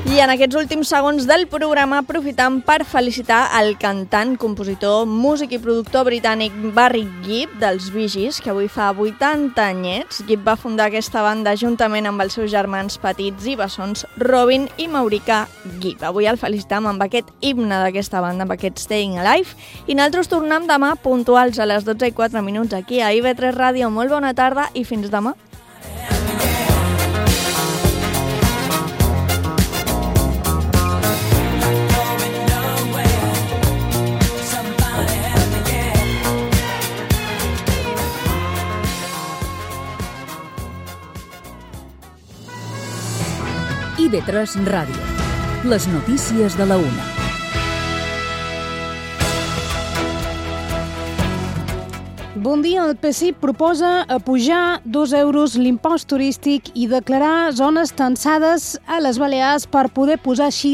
I en aquests últims segons del programa aprofitam per felicitar el cantant, compositor, músic i productor britànic Barry Gibb dels Bee Gees, que avui fa 80 anyets. Gibb va fundar aquesta banda juntament amb els seus germans petits i bessons Robin i Maurica Gibb. Avui el felicitam amb aquest himne d'aquesta banda, amb aquest Staying Alive, i nosaltres tornem demà puntuals a les 12:04 aquí a IB3 Ràdio. Molt bona tarda i fins demà. IB3 Ràdio. Les notícies de la una. Bon dia. El PSI proposa apujar 2 euros l'impost turístic i declarar zones tensades a les Balears per poder posar així